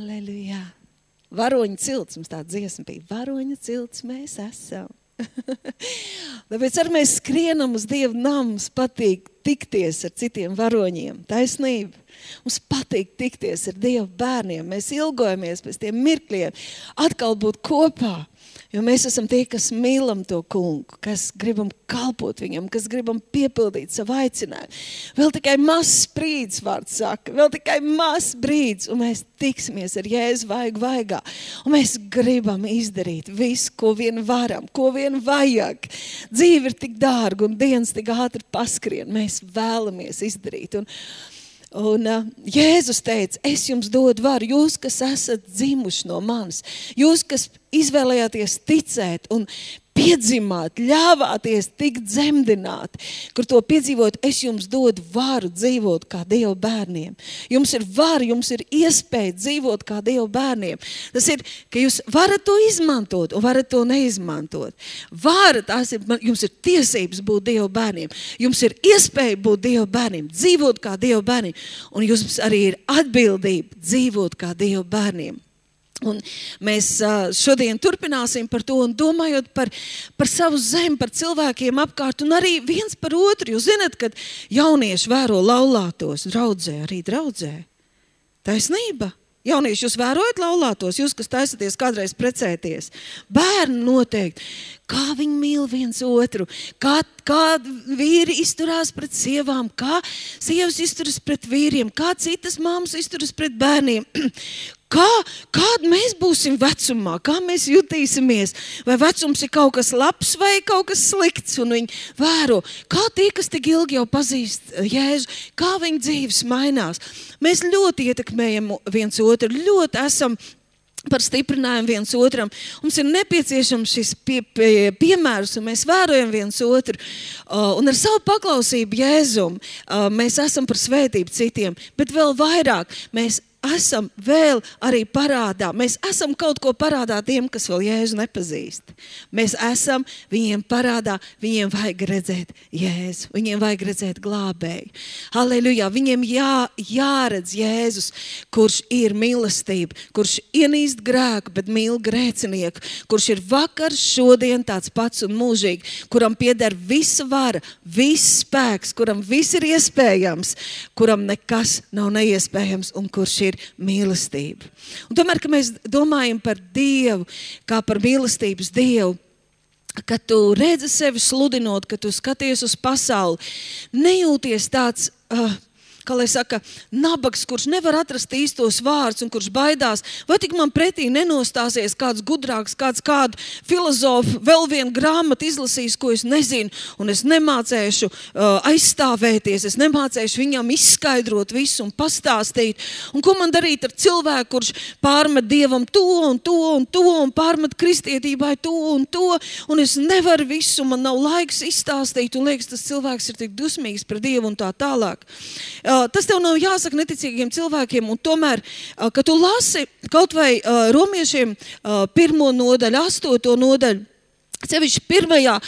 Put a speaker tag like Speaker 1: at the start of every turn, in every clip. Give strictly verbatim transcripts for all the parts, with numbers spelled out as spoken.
Speaker 1: Halleluja. Varoņa cilts, mums tā dziesma bija. Varoņa cilts mēs esam. Tāpēc arī mēs skrienam uz Dievu namu, mums patīk tikties ar citiem varoņiem. Taisnība. Mums patīk tikties ar Dievu bērniem. Mēs ilgojamies pēc tiem mirkļiem atkal būt kopā. Jo mēs esam tie, kas mīlam to kungu, kas gribam kalpot viņam, kas gribam piepildīt savu aicinājumu. Vēl tikai mazs brīdis, vārds saka, vēl tikai mazs brīdis, un mēs tiksimies ar Jēzu vaigu vaigā. Un mēs gribam izdarīt visu, ko vien varam, ko vien vajag. Dzīve ir tik dārga un dienas tik ātri paskrien. Mēs vēlamies izdarīt. Un Un uh, Jēzus teica, es jums dodu varu, jūs, kas esat dzimuši no manis, jūs, kas izvēlējāties ticēt un piedzimāt, ļāvāties tikt dzemdināti, kur to piedzīvot, es jums dodu varu dzīvot kā Dieva bērniem. Jums ir vara, jums ir iespēja dzīvot kā Dieva bērniem. Tas ir, ka jūs varat to izmantot un varat to neizmantot. Vara, tās ir, jums ir tiesības būt Dieva bērniem. Jums ir iespēja būt Dieva bērniem, dzīvot kā Dieva bērniem. Un jums arī ir atbildība dzīvot kā Dieva bērniem. Un mēs šodien turpināsim par to un domājot par, par savu zemi, par cilvēkiem apkārt un arī viens par otru. Jūs zināt, kad jaunieši vēro laulātos draudzē, arī draudzē. Taisnība. Jaunieši, jūs vērojat laulātos, jūs, kas taisaties kādreiz precēties. Bērni noteikti. Kā viņi mīl viens otru, kā, kā vīri izturās pret sievām, kā sievas izturas pret vīriem, kā citas māmas izturas pret bērniem. Kā, kāda mēs būsim vecumā, kā mēs jutīsimies, vai vecums ir kaut kas labs vai kaut kas slikts, un viņi vēro, kā tie, kas tik ilgi jau pazīst Jēzu, kā viņa dzīves mainās. Mēs ļoti ietekmējam viens otru, ļoti esam par stiprinājumu viens otram. Mums ir nepieciešams šis pie, pie, piemērs, un mēs vērojam viens otru. Uh, un ar savu paklausību Jēzum uh, mēs esam par svētību citiem, bet vēl vairāk mēs esam vēl arī parādā. Mēs esam kaut ko parādā tiem, kas vēl Jēzu nepazīst. Mēs esam viņiem parādā, viņiem vajag redzēt Jēzu, viņiem vajag redzēt glābēju. Halleluja, viņiem jā, jāredz Jēzus, kurš ir mīlestība, kurš ienīst grēku, bet mīl grēcinieku, kurš ir vakar, šodien tāds pats un mūžīgi, kuram pieder visa vara, viss spēks, kuram viss ir iespējams, kuram nekas nav neiespējams un kurš ir mīlestība. Un tomēr, ka mēs domājam par Dievu, kā par mīlestības Dievu, kad tu redzi sevi sludinot, kad tu skaties uz pasauli, nejūties tāds, uh, kā lai saka, nabags, kurš nevar atrast īstos vārdus un kurš baidās, vai tik man pretī nenostāsies kāds gudrāks, kāds kādu filozofu, vēl vienu grāmatu izlasīs, ko es nezinu, un es nemācēšu uh, aizstāvēties, es nemācēšu viņam izskaidrot visu un pastāstīt. Un ko man darīt ar cilvēku, kurš pārmet Dievam to un to un to un pārmet kristietībai to un to, un es nevaru visu, man nav laiks izstāstīt, un liekas, tas cilvēks ir tik dusmīgs pret Dievu un tā tālāk. Uh, tas tev nav jāsaka neticīgiem cilvēkiem, un tomēr, uh, kad tu lasi kaut vai uh, romiešiem uh, pirmo nodaļu, astoto nodaļu, sevišķi pirmajā,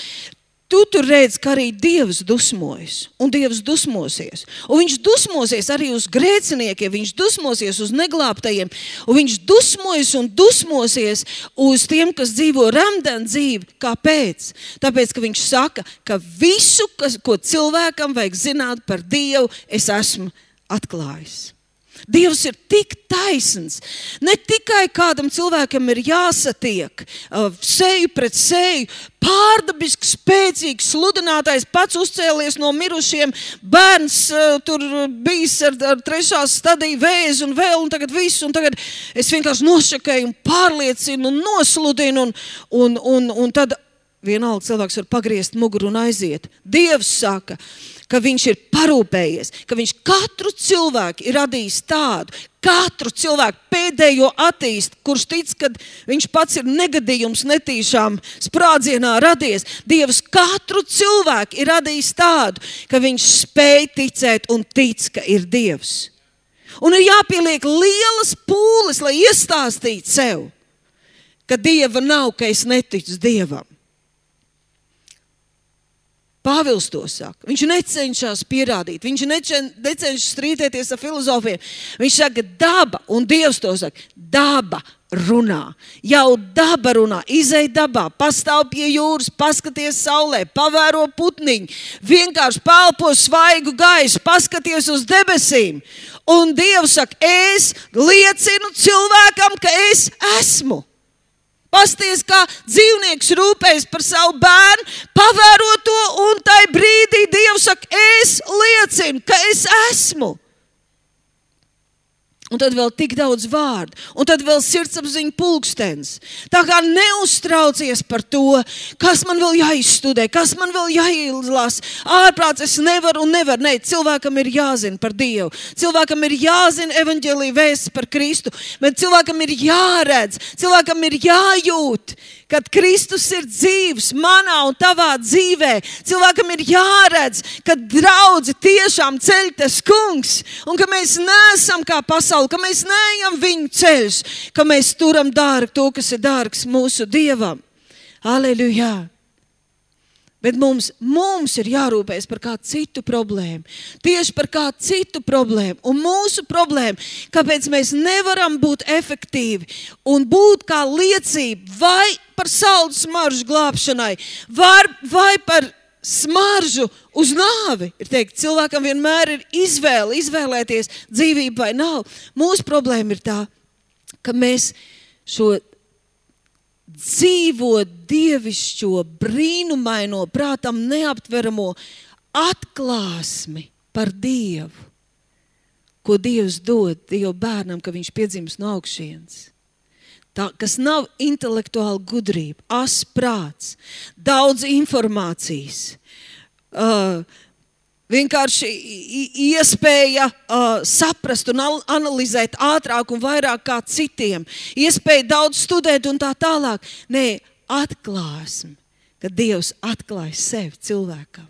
Speaker 1: tu tur redz, ka arī Dievs dusmojas, un Dievs dusmosies. Un viņš dusmosies arī uz grēciniekiem, viņš dusmosies uz neglābtajiem, un viņš dusmojas un dusmosies uz tiem, kas dzīvo remdenu dzīvi. Kāpēc? Tāpēc, ka viņš saka, ka visu, kas, ko cilvēkam vajag zināt par Dievu, es esmu atklājis. Dievs ir tik taisns. Ne tikai kādam cilvēkam ir jāsatiek uh, seju pret seju, pārdabiski spēcīgs sludinātājs, pats uzcēlies no mirušiem, bērns uh, tur bijis ar, ar trešās stadiju vēzi un vēl, un tagad viss, un tagad es vienkārši nošakēju un pārliecinu un nosludinu, un, un, un, un tad vienalga cilvēks var pagriezt muguru un aiziet. Dievs saka, ka viņš ir parūpējies, ka viņš katru cilvēku ir radījis tādu, katru cilvēku pēdējo attīst, kurš tic, kad viņš pats ir negadījums netīšām sprādzienā radies. Dievs katru cilvēku ir radījis tādu, ka viņš spēj ticēt un tic, ka ir Dievs. Un ir jāpieliek lielas pūles, lai iestāstītu sev, ka Dieva nav, ka es neticu Dievam. Pāvils to saka. Viņš necenšas pierādīt, viņš necenšas strīdēties ar filozofiem. Viņš saka daba, un Dievs to saka, daba runā. Jau daba runā, izej dabā, pastāv pie jūras, paskaties saulē, pavēro putniņu, vienkārši pelpo svaigu gaisu, paskaties uz debesīm. Un Dievs saka, es liecinu cilvēkam, ka es esmu. Pasties, kā dzīvnieks rūpējas par savu bērnu, pavēro to, un tai brīdī Dievs saka, es liecinu, ka es esmu. Un tad vēl tik daudz vārdu, un tad vēl sirdsapziņa pulkstens. Tā kā neuztraucies par to, kas man vēl jāizstudē, kas man vēl jāizlasa. Ārprāts es nevaru un nevaru. Nē, cilvēkam ir jāzina par Dievu. Cilvēkam ir jāzina evaņģēlija vēsts par Kristu, bet cilvēkam ir jāredz, cilvēkam ir jājūt, kad Kristus ir dzīvs manā un tavā dzīvē. Cilvēkam ir jāredz, ka draudzi tiešām ceļ tas kungs, un ka mēs neesam kā pasauli, ka mēs neejam viņu ceļus, ka mēs turam dārgu to, kas ir dārgs mūsu Dievam. Aleluja! Bet mums, mums ir jārūpējas par kādu citu problēmu. Tieši par kādu citu problēmu. Un mūsu problēma, kāpēc mēs nevaram būt efektīvi un būt kā liecība vai par saldus smaržu glābšanai, vai, vai par smaržu uz nāvi. Ir teikt, cilvēkam vienmēr ir izvēle, izvēlēties dzīvību vai nav. Mūsu problēma ir tā, ka mēs šo dzīvo dievišķo, brīnumaino, prātam neaptveramo atklāsmi par Dievu, ko Dievs dod Dievu bērnam, ka viņš piedzimst no augšienes. Tā, kas nav intelektuāla gudrība, as prāts, daudz informācijas, uh, vienkārši iespēja uh, saprast un analizēt ātrāk un vairāk kā citiem. Iespēja daudz studēt un tā tālāk. Nē, atklāsme, ka Dievs atklāja sevi cilvēkam.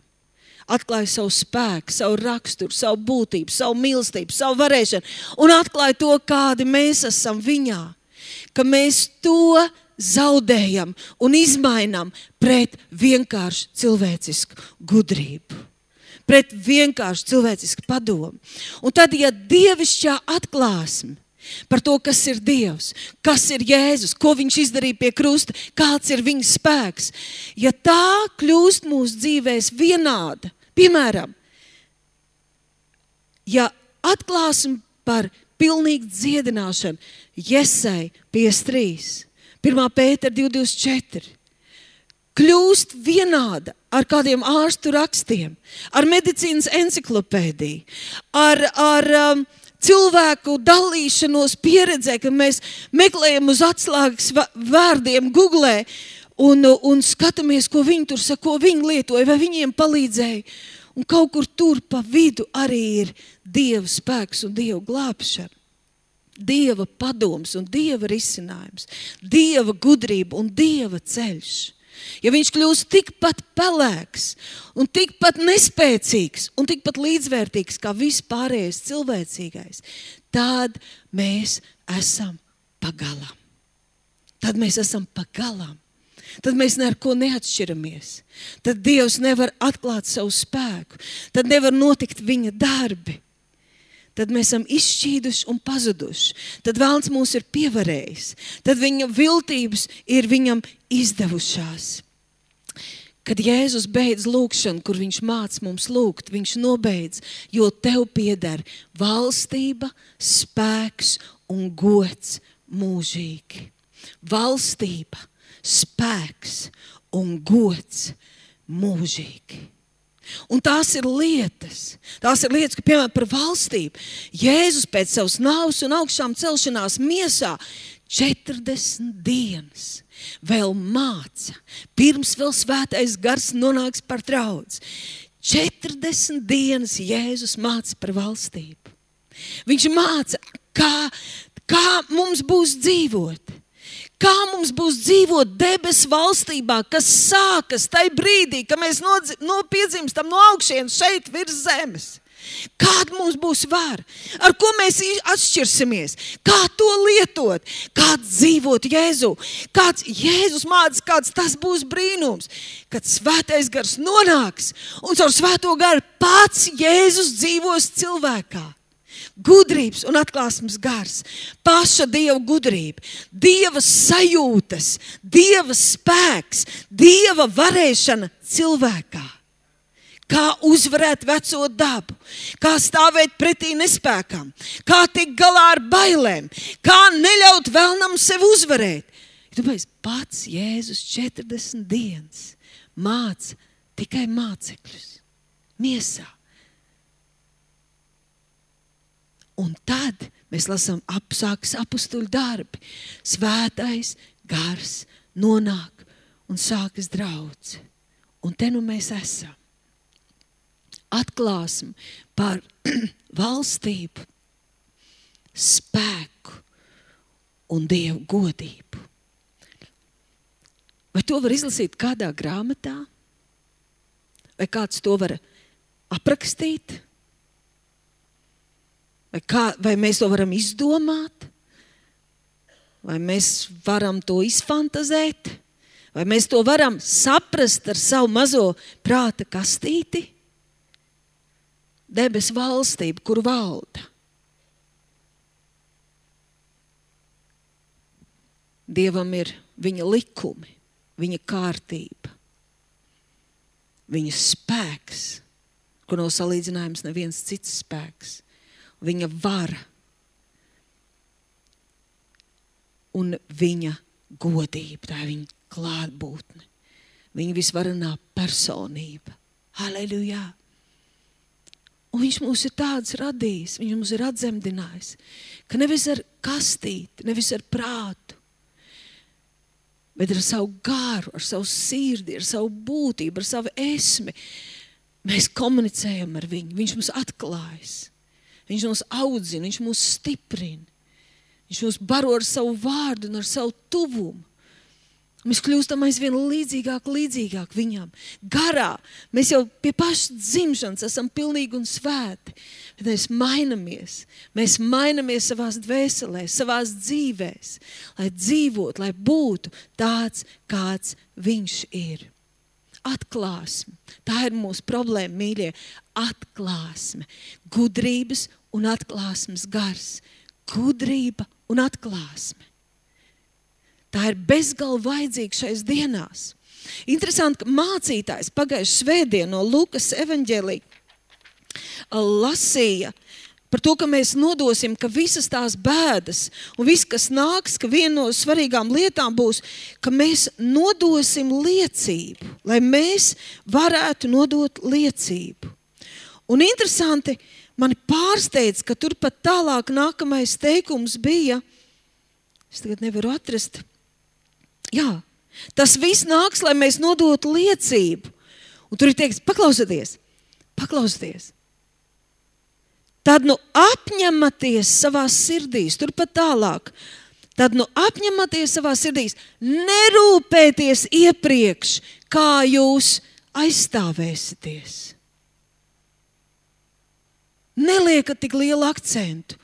Speaker 1: Atklāja savu spēku, savu raksturu, savu būtību, savu mīlestību, savu varēšanu. Un atklāja to, kādi mēs esam viņā. Ka mēs to zaudējam un izmainām pret vienkārši cilvēcisku gudrību. Pret vienkārši cilvēcisku padomu. Un tad, ja dievišķā atklāsme par to, kas ir Dievs, kas ir Jēzus, ko viņš izdarīja pie krusta, kāds ir viņa spēks, ja tā kļūst mūsu dzīvēs vienāda, piemēram, ja atklāsme par pilnīgu dziedināšanu, Jesai piecdesmit trīs, pirmā Pētera divi divdesmit četri, kļūst vienāda ar kādiem ārstu rakstiem, ar medicīnas enciklopēdiju, ar, ar um, cilvēku dalīšanos pieredzē, ka mēs meklējam uz atslēgas vārdiem Googlē un, un skatāmies, ko viņi tur saka, ko viņi lietoja, vai viņiem palīdzēja. Un kaut kur tur pa vidu arī ir Dieva spēks un Dieva glābšana. Dieva padoms un Dieva risinājums, Dieva gudrība un Dieva ceļš. Ja viņš kļūst tikpat pelēks un tikpat nespēcīgs un tikpat līdzvērtīgs kā vispārējais cilvēcīgais, tad mēs esam pagalam. Tad mēs esam pagalam. Tad mēs ne ar ko neatšķiramies. Tad Dievs nevar atklāt savu spēku. Tad nevar notikt viņa darbi. Tad mēs esam izšķīduši un pazuduši. Tad vēlns mūs ir pievarējis. Tad viņa viltības ir viņam izdevušās. Kad Jēzus beidz lūkšanu, kur viņš māc mums lūgt, viņš nobeidz, jo tev pieder valstība, spēks un gods mūžīgi. Valstība, spēks un gods mūžīgi. Un tās ir lietas, tās ir lietas, ka, piemēram, par valstību. Jēzus pēc savas nāves un augšām celšanās miesā četrdesmit dienas vēl māca, pirms vēl svētais gars nonāks par draudzi. četrdesmit dienas Jēzus māca par valstību. Viņš māca, kā, kā mums būs dzīvot. Kā mums būs dzīvot debesu valstībā, kas sākas tajā brīdī, kad mēs nopiedzimstam no augšienes šeit virs zemes. Kāda mums būs vara? Ar ko mēs atšķirsimies? Kā to lietot? Kā dzīvot Jēzu? Kāds Jēzus mācīs, kāds tas būs brīnums? Kad svētais gars nonāks un caur svēto garu pats Jēzus dzīvos cilvēkā. Gudrības un atklāsmes gars, paša Dieva gudrība, Dieva sajūtas, Dieva spēks, Dieva varēšana cilvēkā. Kā uzvarēt veco dabu, kā stāvēt pretī nespēkam, kā tikt galā ar bailēm, kā neļaut vēlnam sev uzvarēt. Tāpēc pats Jēzus četrdesmit dienas māca tikai mācekļus miesā. Un tad mēs lasām apsākas apustuļu darbi. Svētais gars nonāk un sākas draudze. Un te nu mēs esam. Atklāsmi par valstību, spēku un Dievu godību. Vai to var izlasīt kādā grāmatā? Vai kāds to var aprakstīt? Vai, kā, vai mēs to varam izdomāt? Vai mēs varam to izfantazēt? Vai mēs to varam saprast ar savu mazo prāta kastīti? Debes valstība, kur valda. Dievam ir viņa likumi, viņa kārtība, viņa spēks, ko nav salīdzinājums neviens cits spēks. Viņa vara un viņa godība, tā ir viņa klātbūtne, viņa visvarenā personība. Halleluja! Un viņš mūs ir tāds radījis, viņš mūs ir atzemdinājis, ka nevis ar kastīti, nevis ar prātu, bet ar savu garu, ar savu sirdi, ar savu būtību, ar savu esmi. Mēs komunicējam ar viņu, viņš mums atklājas. Viņš mūs audzina, viņš mūs stiprina. Viņš mūs baro ar savu vārdu un ar savu tuvumu. Mēs kļūstam aizvien līdzīgāk, līdzīgāk viņam. Garā. Mēs jau pie pašas dzimšanas esam pilnīgi un svēti. Bet mēs mainamies. Mēs mainamies savās dvēselēs, savās dzīvēs. Lai dzīvot, lai būtu tāds, kāds viņš ir. Atklāsme. Tā ir mūsu problēma, mīļie. Atklāsme. Gudrības un atklāsmes gars. Gudrība un atklāsme. Tā ir bezgalīgi vajadzīga šais dienās. Interesanti, ka mācītājs pagājušajā svētdienā no Lukas evaņģēlija lasīja par to, ka mēs nodosim, ka visas tās bēdas un viss, kas nāks, ka viena no svarīgām lietām būs, ka mēs nodosim liecību, lai mēs varētu nodot liecību. Un interesanti, mani pārsteidz, ka tur pat tālāk nākamais teikums bija, es tagad nevaru atrast, jā, tas viss nāks, lai mēs nodotu liecību. Un tur ir teiks, paklausieties, paklausieties. Tad nu apņematies savās sirdīs, turpat tālāk. Tad nu apņematies savās sirdīs, nerūpēties iepriekš, kā jūs aizstāvēsities. Neliekat tik lielu akcentu.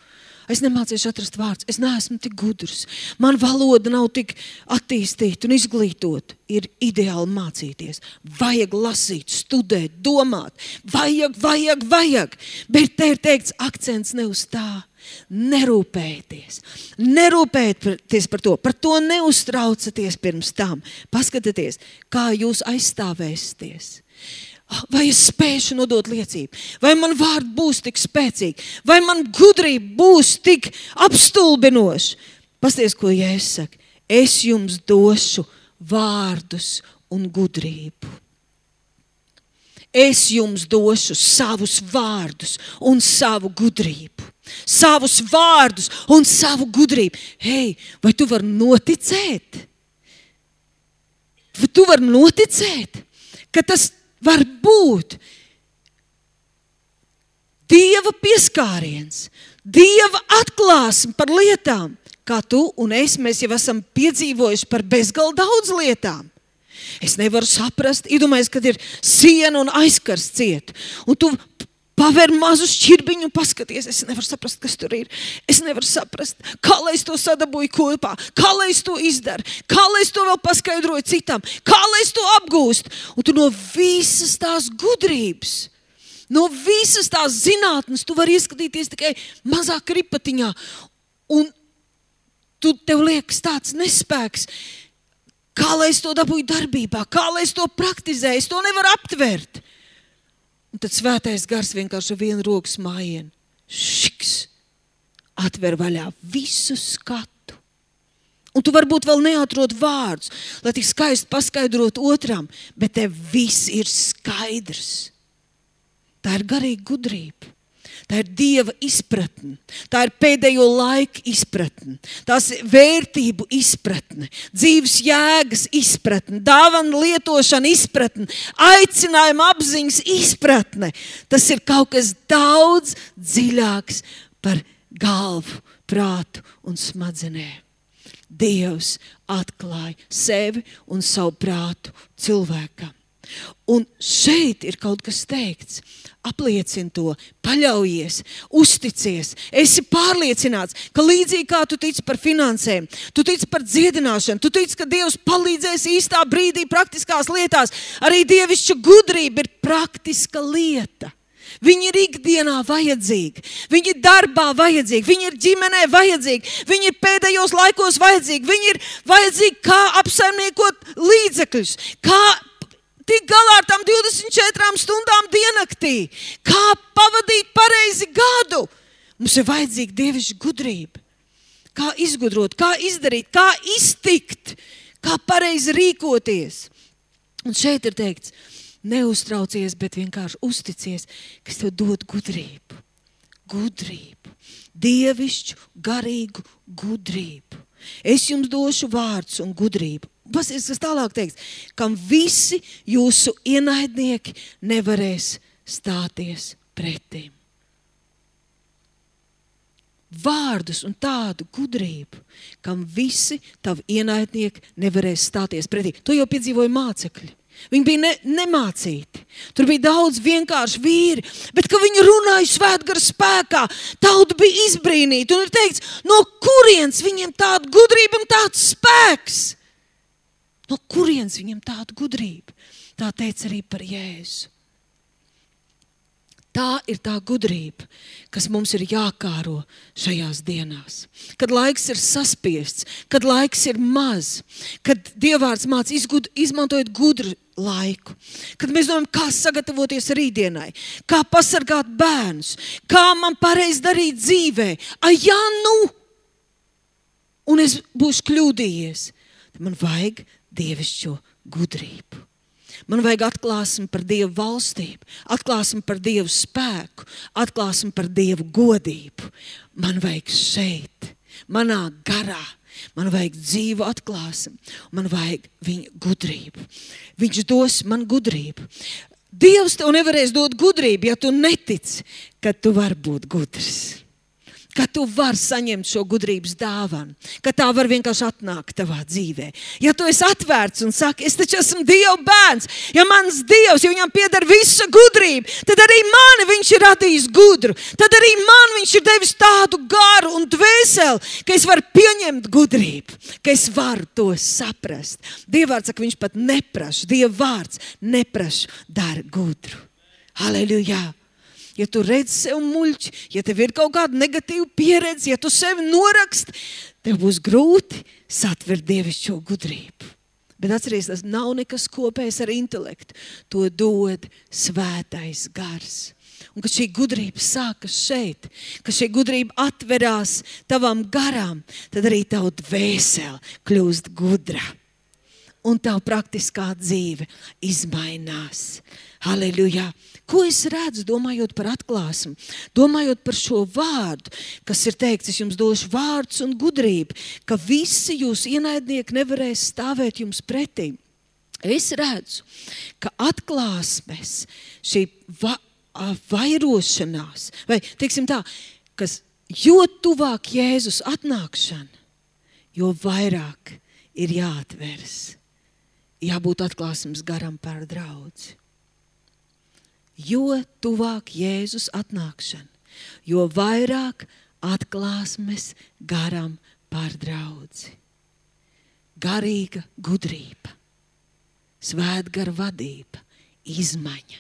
Speaker 1: Es nemācīšu atrast vārds, es neesmu tik gudrs. Man valoda nav tik attīstīta un izglītota. Ir ideāli mācīties. Vajag lasīt, studēt, domāt. Vajag, vajag, vajag. Bet te ir teikts akcents ne uz tā. Nerūpējieties. Nerūpējieties par to. Par to neuztraucaties pirms tam. Paskatieties, kā jūs aizstāvēsieties. Vai es spēšu nodot liecību? Vai man vārdi būs tik spēcīgi? Vai man gudrība būs tik apstulbinoša? Pasties, ko Jēzus saka. Es jums došu vārdus un gudrību. Es jums došu savus vārdus un savu gudrību. Savus vārdus un savu gudrību. Hei, vai tu vari noticēt? Vai tu vari noticēt, ka tas var būt Dieva pieskāriens, Dieva atklāsme par lietām, kā tu un es, mēs jau esam piedzīvojuši par bezgalīgi daudz lietām. Es nevaru saprast, iedomājies, kad ir siena un aizkars ciet, un tu paver mazu šķirbiņu un paskaties, es nevaru saprast, kas tur ir. Es nevaru saprast, kā lai es to sadabūju kopā, kā lai es to izdaru, kā lai es to vēl paskaidroju citam, kā lai es to apgūstu. Un tu no visas tās gudrības, no visas tās zinātnes, tu vari ieskatīties tikai mazā kripatiņā. Un tu tev liekas tāds nespēks, kā lai es to dabūju darbībā, kā lai es to praktizēju, es to nevaru aptvert. Un tad svētais gars vienkārši vienu rokas mājienu. Šiks! Atver vaļā visu skatu. Un tu varbūt vēl neatrod vārdus, lai tik skaisti paskaidrot otram, bet tev viss ir skaidrs. Tā ir garīga gudrība. Tā ir Dieva izpratne, tā ir pēdējo laiku izpratne, tās vērtību izpratne, dzīves jēgas izpratne, dāvana lietošana izpratne, aicinājuma apziņas izpratne. Tas ir kaut kas daudz dziļāks par galvu, prātu un smadzenēm. Dievs atklāja sevi un savu prātu cilvēkam. Un šeit ir kaut kas teikts. Apliecini to, paļaujies, uzticies, esi pārliecināts, ka līdzīgi kā tu tici par finansēm, tu tici par dziedināšanu, tu tici, ka Dievs palīdzēs īstā brīdī praktiskās lietās. Arī dievišķa gudrība ir praktiska lieta. Viņi ir ikdienā vajadzīgi, viņi ir darbā vajadzīgi, viņi ir ģimenē vajadzīgi, viņi ir pēdējos laikos vajadzīgi, viņi ir vajadzīgi kā apsaimniekot līdzekļus, kā tik galā ar tām divdesmit četrām stundām diennaktī, kā pavadīt pareizi gadu. Mums ir vajadzīga dievišķa gudrība. Kā izgudrot, kā izdarīt, kā iztikt, kā pareizi rīkoties. Un šeit ir teikts, neuztraucies, bet vienkārši uzticies, kas tev dod gudrību. Gudrību. Dievišķu, garīgu gudrību. Es jums došu vārdus un gudrību. Pasies, kas tālāk teiks, kam visi jūsu ienaidnieki nevarēs stāties pretim. Vārdus un tādu gudrību, kam visi tavi ienaidnieki nevarēs stāties pretim. To jau piedzīvoja mācekļi. Viņi bija ne, nemācīti. Tur bija daudz vienkārši vīri, bet, ka viņi runāja svētgara spēkā, tauta bija izbrīnīta. Un ir teikts, no kurienes viņiem tāda gudrība un tāds spēks? No kurienes viņam tāda gudrība? Tā teica arī par Jēzu. Tā ir tā gudrība, kas mums ir jākāro šajās dienās. Kad laiks ir saspiests, kad laiks ir maz, kad Dievvārds māca izgud, izmantojot gudru laiku. Kad mēs domājam, kā sagatavoties rītdienai, kā pasargāt bērnus, kā man pareizi darīt dzīvē. Ai, jā, nu! Un es būšu kļūdījies. Man vajag dievišķo gudrību. Man vajag atklāsmi par Dievu valstību, atklāsmi par Dievu spēku, atklāsmi par Dievu godību. Man vajag šeit, manā garā, man vajag dzīvu atklāsmi, man vajag viņa gudrību. Viņš dos man gudrību. Dievs tev nevarēs dot gudrību, ja tu netici, ka tu vari būt gudrs. Ka tu vari saņemt šo gudrības dāvanu, ka tā var vienkārši atnākt tavā dzīvē. Ja tu esi atvērts un saki, es taču esmu Dieva bērns, ja mans Dievs, ja viņam pieder visa gudrība, tad arī mani viņš ir radījis gudru, tad arī man viņš ir devis tādu garu un dvēseli, ka es varu pieņemt gudrību, ka es varu to saprast. Dievvārds saka, viņš pat neprasa, Dievvārds neprasa, dara gudru. Halleluja! Ja tu redz sev muļķi, ja tev ir kaut kāda negatīva pieredze, ja tu sevi noraksti, tev būs grūti satvert dievišķo gudrību. Bet atceries, tas nav nekas kopējs ar intelektu. To dod svētais gars. Un kad šī gudrība sākas šeit, kad šī gudrība atverās tavam garām, tad arī tavu dvēseli kļūst gudra. Un tavu praktiskā dzīve izmainās. Halleluja! Ko es redzu, domājot par atklāsmi, domājot par šo vārdu, kas ir teikts, es jums došu vārdus un gudrību, ka visi jūs ienaidnieki nevarēs stāvēt jums pretī. Es redzu, ka atklāsmes, šī va, vairošanās, vai teiksim tā, kas jo tuvāk Jēzus atnākšana, jo vairāk ir jāatveras, jābūt atklāsmes garam par draudzi. jo tuvāk Jēzus atnākšana, jo vairāk atklāsmes garam par draudzi. Garīga gudrība, svētgara vadība, izmaiņa,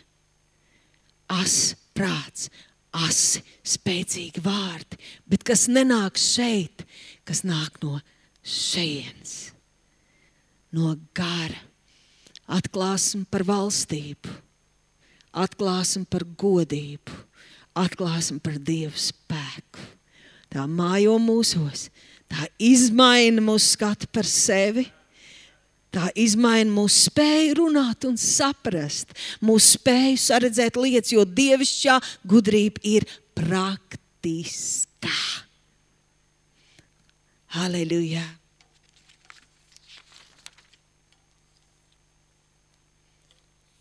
Speaker 1: as prāts, asi, spēcīgi vārdi, bet kas nenāk šeit, kas nāk no šejienes, no gara. Atklāsim par valstību, atklāsim par godību, atklāsim par Dievu spēku. Tā mājo mūsos, tā izmaina mūsu skatu par sevi, tā izmaina mūsu spēju runāt un saprast, mūsu spēju saredzēt lietas, jo dievišķā gudrība ir praktiskā. Halleluja!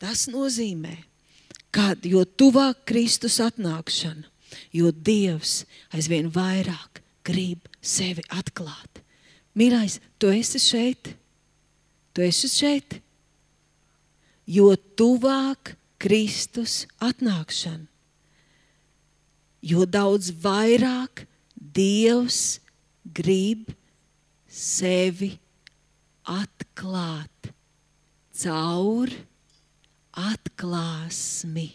Speaker 1: Tas nozīmē, kad jo tuvāk Kristus atnākšana, jo Dievs aizvien vairāk grib sevi atklāt. Mīļais, tu esi šeit? Tu esi šeit? Jo tuvāk Kristus atnākšana, jo daudz vairāk Dievs grib sevi atklāt caur atklāsmi.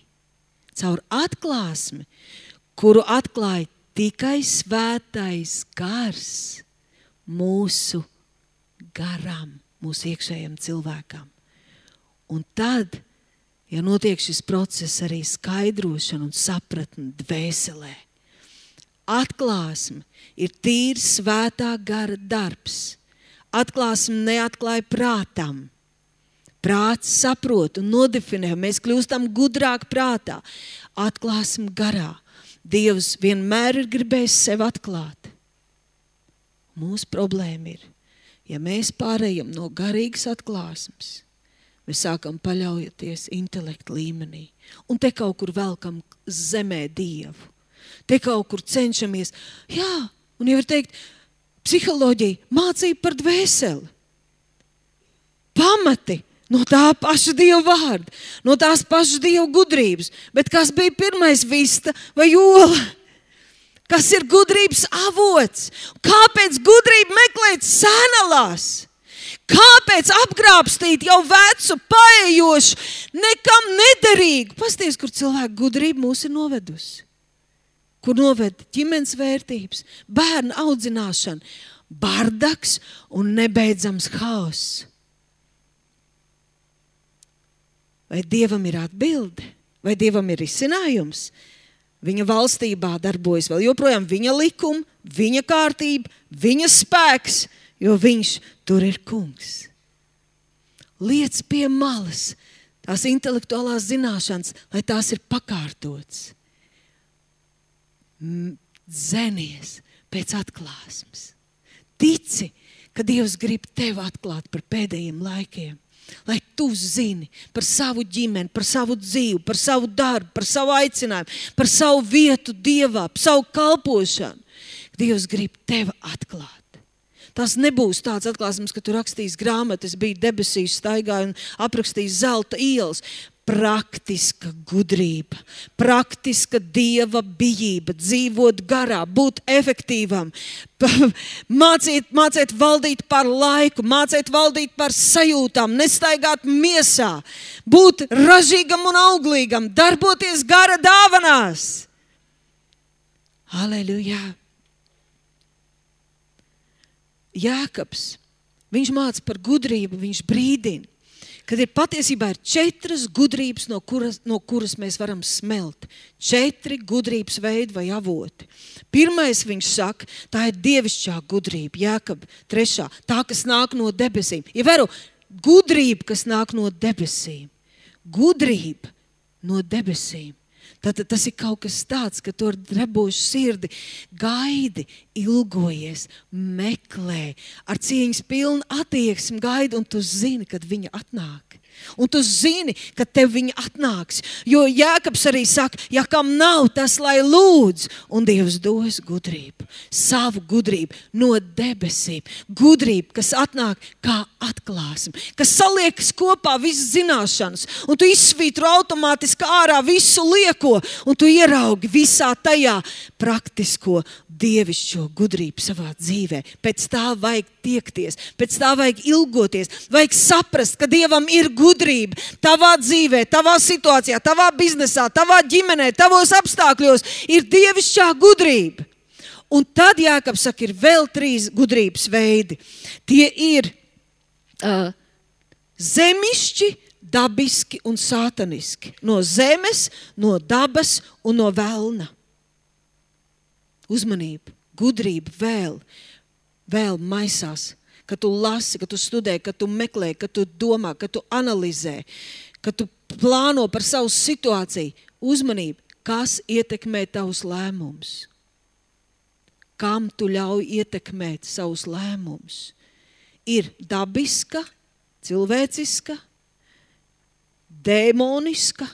Speaker 1: Caur atklāsmi, kuru atklāja tikai svētais gars mūsu garam, mūsu iekšējiem cilvēkam. Un tad, ja notiek šis process arī skaidrošana un sapratne dvēselē, atklāsme ir tīri svētā gara darbs. Atklāsme neatklāja prātam. Prāts saprot un nodefinē, mēs kļūstam gudrāk prātā. Atklāsim garā. Dievs vienmēr ir gribējis sevi atklāt. Mūsu problēma ir, ja mēs pārējam no garīgas atklāsmes, mēs sākam paļaujoties intelekta līmenī. Un te kaut kur velkam zemē Dievu. Te kaut kur cenšamies. Jā, un jau ir teikt, psiholoģija, mācība par dvēseli. Pamati. No tā paša Dieva vārda, no tās pašas Dieva gudrības. Bet kas bija pirmais, vista vai ola? Kas ir gudrības avots? Kāpēc gudrība meklēt sēnalās? Kāpēc apgrābstīt jau vecu, paejošu, nekam nederīgu? Pasties, kur cilvēku gudrība mūs ir novedusi. Kur noved ģimenes vērtības, bērnu audzināšana, bardaks un nebeidzams haoss. Vai Dievam ir atbilde? Vai Dievam ir risinājums? Viņa valstībā darbojas vēl joprojām viņa likuma, viņa kārtība, viņa spēks, jo viņš tur ir kungs. Liec pie malas tās intelektuālās zināšanas, lai tās ir pakārtotas. Dzenies pēc atklāsmes. Tici, ka Dievs grib tevi atklāt par pēdējiem laikiem. Lai tu zini par savu ģimeni, par savu dzīvi, par savu darbu, par savu aicinājumu, par savu vietu Dievā, par savu kalpošanu. Dievs grib tevi atklāt. Tas nebūs tāds atklāsmes, ka tu rakstīs grāmatu, es biju debesīs, staigāju un aprakstījis zelta ielas. Praktiska gudrība, praktiska Dieva bijība, dzīvot garā, būt efektīvam, mācīt, mācīt valdīt par laiku, mācīt valdīt par sajūtām, nestaigāt miesā, būt ražīgam un auglīgam, darboties gara dāvanās. Halleluja! Jēkabs, viņš māca par gudrību, viņš brīdina. Kad ir patiesībā ir četras gudrības, no kuras, no kuras mēs varam smelt. Četri gudrības veidi vai avoti. Pirmais viņš saka, tā ir dievišķā gudrība, Jēkab trešā, tā, kas nāk no debesīm. Ievēro, gudrība, kas nāk no debesīm. Gudrība no debesīm. Tātad tas ir kaut kas tāds, ka tu ar drebošu sirdi gaidi, ilgojies, meklē, ar cieņas pilnu attieksmi gaidi, un tu zini, kad viņa atnāk. Un tu zini, ka tev viņi atnāks. Jo Jēkabs arī saka, ja kam nav, tas lai lūdz. Un Dievs dos gudrību, savu gudrību no debesīm. Gudrību, kas atnāk kā atklāsme, kas saliekas kopā visas zināšanas. Un tu izsvītro automātiski ārā visu lieko. Un tu ieraugi visā tajā praktisko dievišķo gudrību savā dzīvē. Pēc tā vajag tiekties, pēc tā vajag ilgoties, vajag saprast, ka Dievam ir gudrība tavā dzīvē, tavā situācijā, tavā biznesā, tavā ģimenē, tavos apstākļos ir dievišķā gudrība. Un tad Jākabs saka, ir vēl trīs gudrības veidi. Tie ir uh, zemišķi, dabiski un sātaniski. No zemes, no dabas un no velna. Uzmanība, gudrība vēl, vēl maisās, kad tu lasi, kad tu studē, kad tu meklē, kad tu domā, kad tu analizē, kad tu plāno par savu situāciju. Uzmanība, kas ietekmē tavus lēmumus? Kam tu ļauj ietekmēt savus lēmumus? Ir dabiska, cilvēciska, dēmoniska,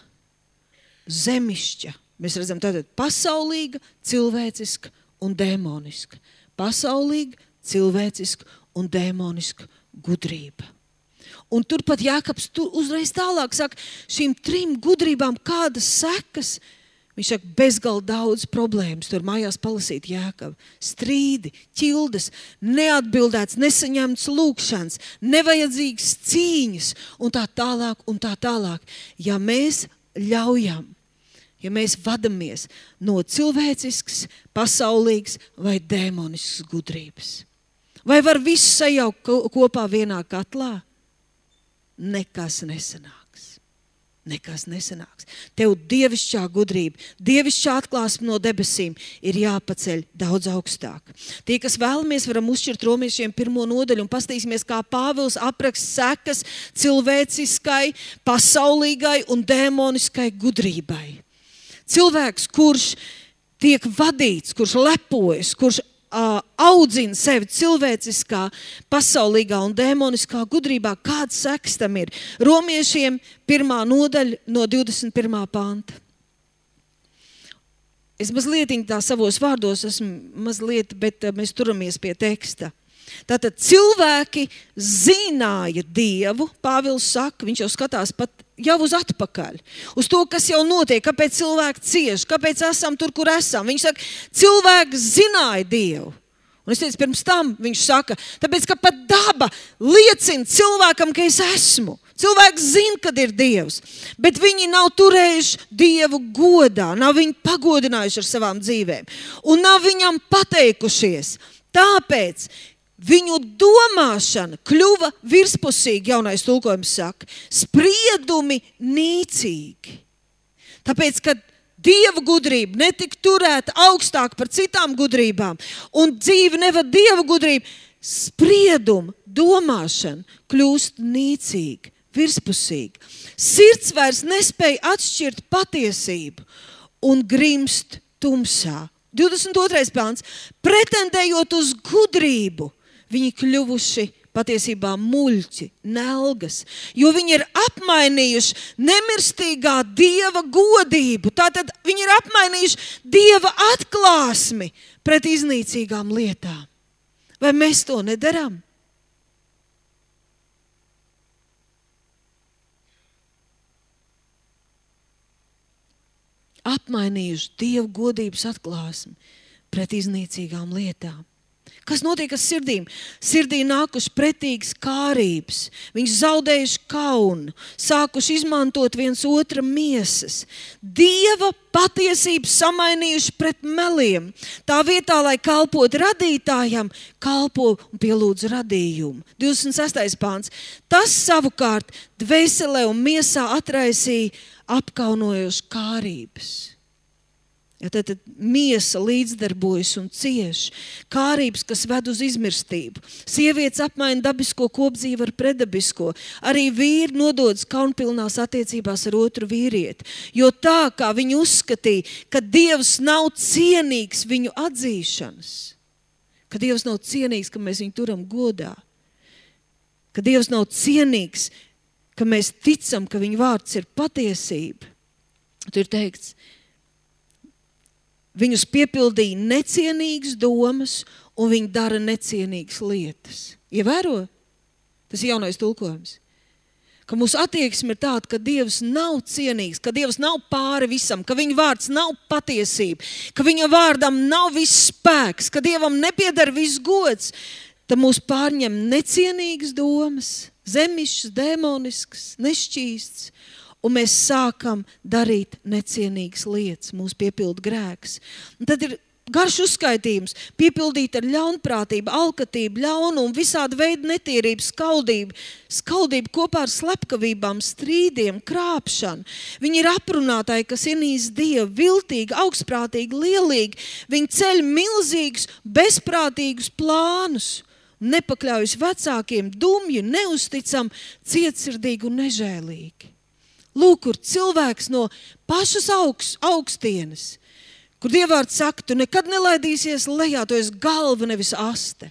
Speaker 1: zemišķa. Mēs redzam tātad pasaulīga, cilvēciska un dēmoniska. Pasaulīga, cilvēciska un dēmoniska gudrība. Un turpat Jākabs tu uzreiz tālāk saka, šīm trim gudrībām kādas sekas. Viņš saka, bezgalīgi daudz problēmas. Tur mājās palasīt Jākabu. Strīdi, ķildes, neatbildēts, nesaņemts lūkšanas, nevajadzīgas cīņas un tā tālāk un tā tālāk. Ja mēs ļaujam, ja mēs vadamies no cilvēcisks, pasaulīgs vai dēmonisks gudrības. Vai var visu sajaukt kopā vienā katlā? Nekas nesanāks. Nekas nesanāks. Tev dievišķā gudrība, dievišķā atklāsme no debesīm ir jāpaceļ daudz augstāk. Tie, kas vēlamies, varam uzšķirt romiešiem pirmo nodaļu un pastīsimies, kā Pāvils apraksta sekas cilvēciskai, pasaulīgai un dēmoniskai gudrībai. Cilvēks, kurš tiek vadīts, kurš lepojas, kurš uh, audzina sevi cilvēciskā, pasaulīgā un dēmoniskā gudrībā, kāds seks tam ir? Romiešiem pirmā nodaļa no divdesmit pirmā panta. Es mazliet tā savos vārdos esmu mazliet, bet uh, mēs turamies pie teksta. Tātad cilvēki zināja Dievu, Pāvils saka, viņš jau skatās pat jau uz atpakaļ, uz to, kas jau notiek, kāpēc cilvēki cieš, kāpēc esam tur, kur esam. Viņš saka, cilvēki zināja Dievu. Un es teicu, pirms tam viņš saka, tāpēc, ka pat daba liecina cilvēkam, ka es esmu. Cilvēks zina, kad ir Dievs, bet viņi nav turējuši Dievu godā, nav viņu pagodinājuši ar savām dzīvēm un nav viņam pateikušies. Tāpēc viņu domāšana kļuva virspusīgi, jaunais tulkojums saka, spriedumi nīcīgi. Tāpēc, kad Dieva gudrība netika turēta augstāk par citām gudrībām un dzīve nevad Dieva gudrību, spriedumi, domāšana kļūst nīcīgi, virspusīgi. Sirds vairs nespēja atšķirt patiesību un grimst tumsā. divdesmit otrais pants. Pretendējot uz gudrību, viņi kļuvuši patiesībā muļķi, nelgas, jo viņi ir apmainījuši nemirstīgā Dieva godību. Tātad viņi ir apmainījuši Dieva atklāsmi pret iznīcīgām lietām. Vai mēs to nedaram? Apmainījuši Dieva godības atklāsmi pret iznīcīgām lietām. Kas notiek ar sirdīm? Sirdī nākuši pretīgas kārības, viņš zaudējuši kaunu, sākuši izmantot viens otra miesas. Dieva patiesību samainījuši pret meliem. Tā vietā, lai kalpot radītājam, kalpo un pielūdz radījumu. divdesmit sestais pāns. Tas savukārt dvēselē un miesā atraisīja apkaunojošas kārības. Ja tad, tad miesa līdzdarbojas un cieš. Kārības, kas ved uz izmirstību. Sievietes apmaina dabisko kopdzīvi ar predabisko. Arī vīri nododas kaunpilnās attiecībās ar otru vīrieti. Jo tā, kā viņi uzskatīja, ka Dievs nav cienīgs viņu atzīšanas. Ka Dievs nav cienīgs, ka mēs viņu turam godā. Ka Dievs nav cienīgs, ka mēs ticam, ka viņa vārds ir patiesība. Tur ir teikts, viņus piepildīja necienīgas domas un viņi dara necienīgas lietas. Ievēro? Tas ir jaunais tulkojums. Ka mūsu attieksme ir tāda, ka Dievs nav cienīgs, ka Dievs nav pāri visam, ka viņa vārds nav patiesība, ka viņa vārdam nav viss spēks, ka Dievam nepieder viss gods. Tad mūs pārņem necienīgas domas, zemišas, demoniskas, nešķīsts, un mēs sākam darīt necienīgas lietas, mūs piepilda grēks. Un tad ir garš uzskaitījums, piepildīt ar ļaunprātību, alkatību, ļaunumu, visādi veidi netīrību, skaldību, skaldību kopā ar slepkavībām, strīdiem, krāpšanu. Viņi ir aprunātāji, kas ienīst Dievu, viltīgi, augstprātīgi, lielīgi. Viņi ceļ milzīgus, bezprātīgus plānus, nepakļaujas vecākiem, dumji, neusticam, cietsirdīgi un nežēlīgi. Lūk, kur cilvēks no pašas augst, augstienes, kur Dievvārds saka, tu nekad nelaidīsies lejā, tu esi galva, nevis aste.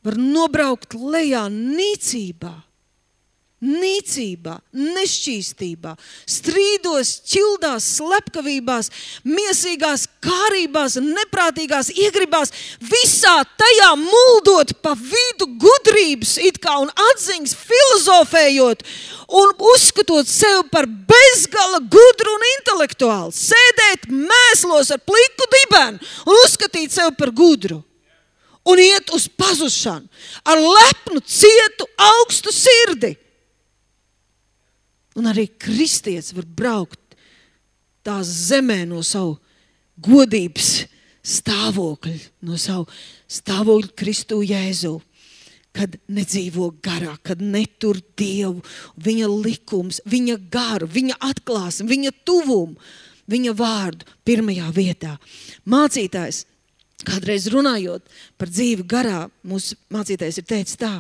Speaker 1: Var nobraukt lejā nīcībā, nīcībā, nešķīstībā, strīdos, ķildās, slepkavībās, miesīgās kārībās, neprātīgās iegribās, visā tajā muldot pa vidu gudrības it kā un atziņas filozofējot un uzskatot sev par bezgala gudru un intelektuālu, sēdēt mēslos ar pliku dibenu un uzskatīt sev par gudru un iet uz pazušanu ar lepnu, cietu, augstu sirdi. Un arī kristietis var braukt tās zemē no savu godības stāvokļa, no savu stāvokļa Kristu Jēzu, kad nedzīvo garā, kad netur Dievu, viņa likums, viņa garu, viņa atklāsmi, viņa tuvumu, viņa vārdu pirmajā vietā. Mācītājs, kādreiz runājot par dzīvi garā, mūsu mācītājs ir teicis tā,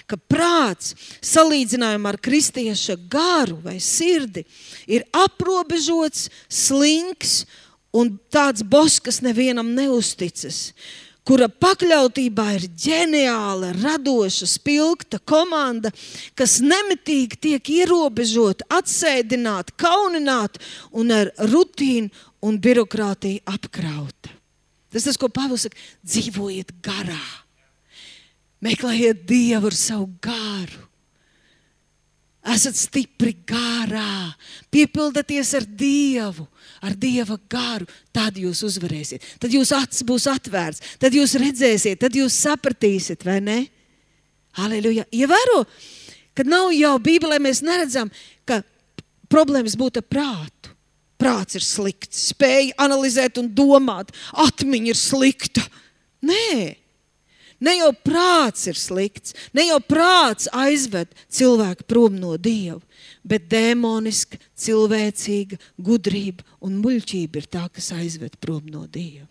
Speaker 1: ka prāts salīdzinājumā ar kristieša garu vai sirdi ir aprobežots, slinks un tāds boss, kas nevienam neusticas, kura pakļautībā ir ģeniāla, radoša, spilgta komanda, kas nemitīgi tiek ierobežota, atsēdināta, kaunināta un ar rutīnu un birokrātiju apkrauta. Tas tas, ko Pāvils saka, dzīvojiet garā. Meklējiet Dievu ar savu garu. Esat stipri garā. Piepildaties ar Dievu, ar Dieva garu. Tad jūs uzvarēsiet. Tad jūs acis būs atvērts. Tad jūs redzēsiet, tad jūs sapratīsiet, vai ne? Halleluja. Ievēro, kad nav jau Bībelē mēs neredzam, ka problēmas būtu ar prātu. Prāts ir slikts, spēja analizēt un domāt, atmiņa ir slikta. Nē, ne jau prāts ir slikts, ne jau prāts aizved cilvēku prom no Dieva, bet dēmoniska, cilvēcīga gudrība un muļķība ir tā, kas aizved prom no Dieva.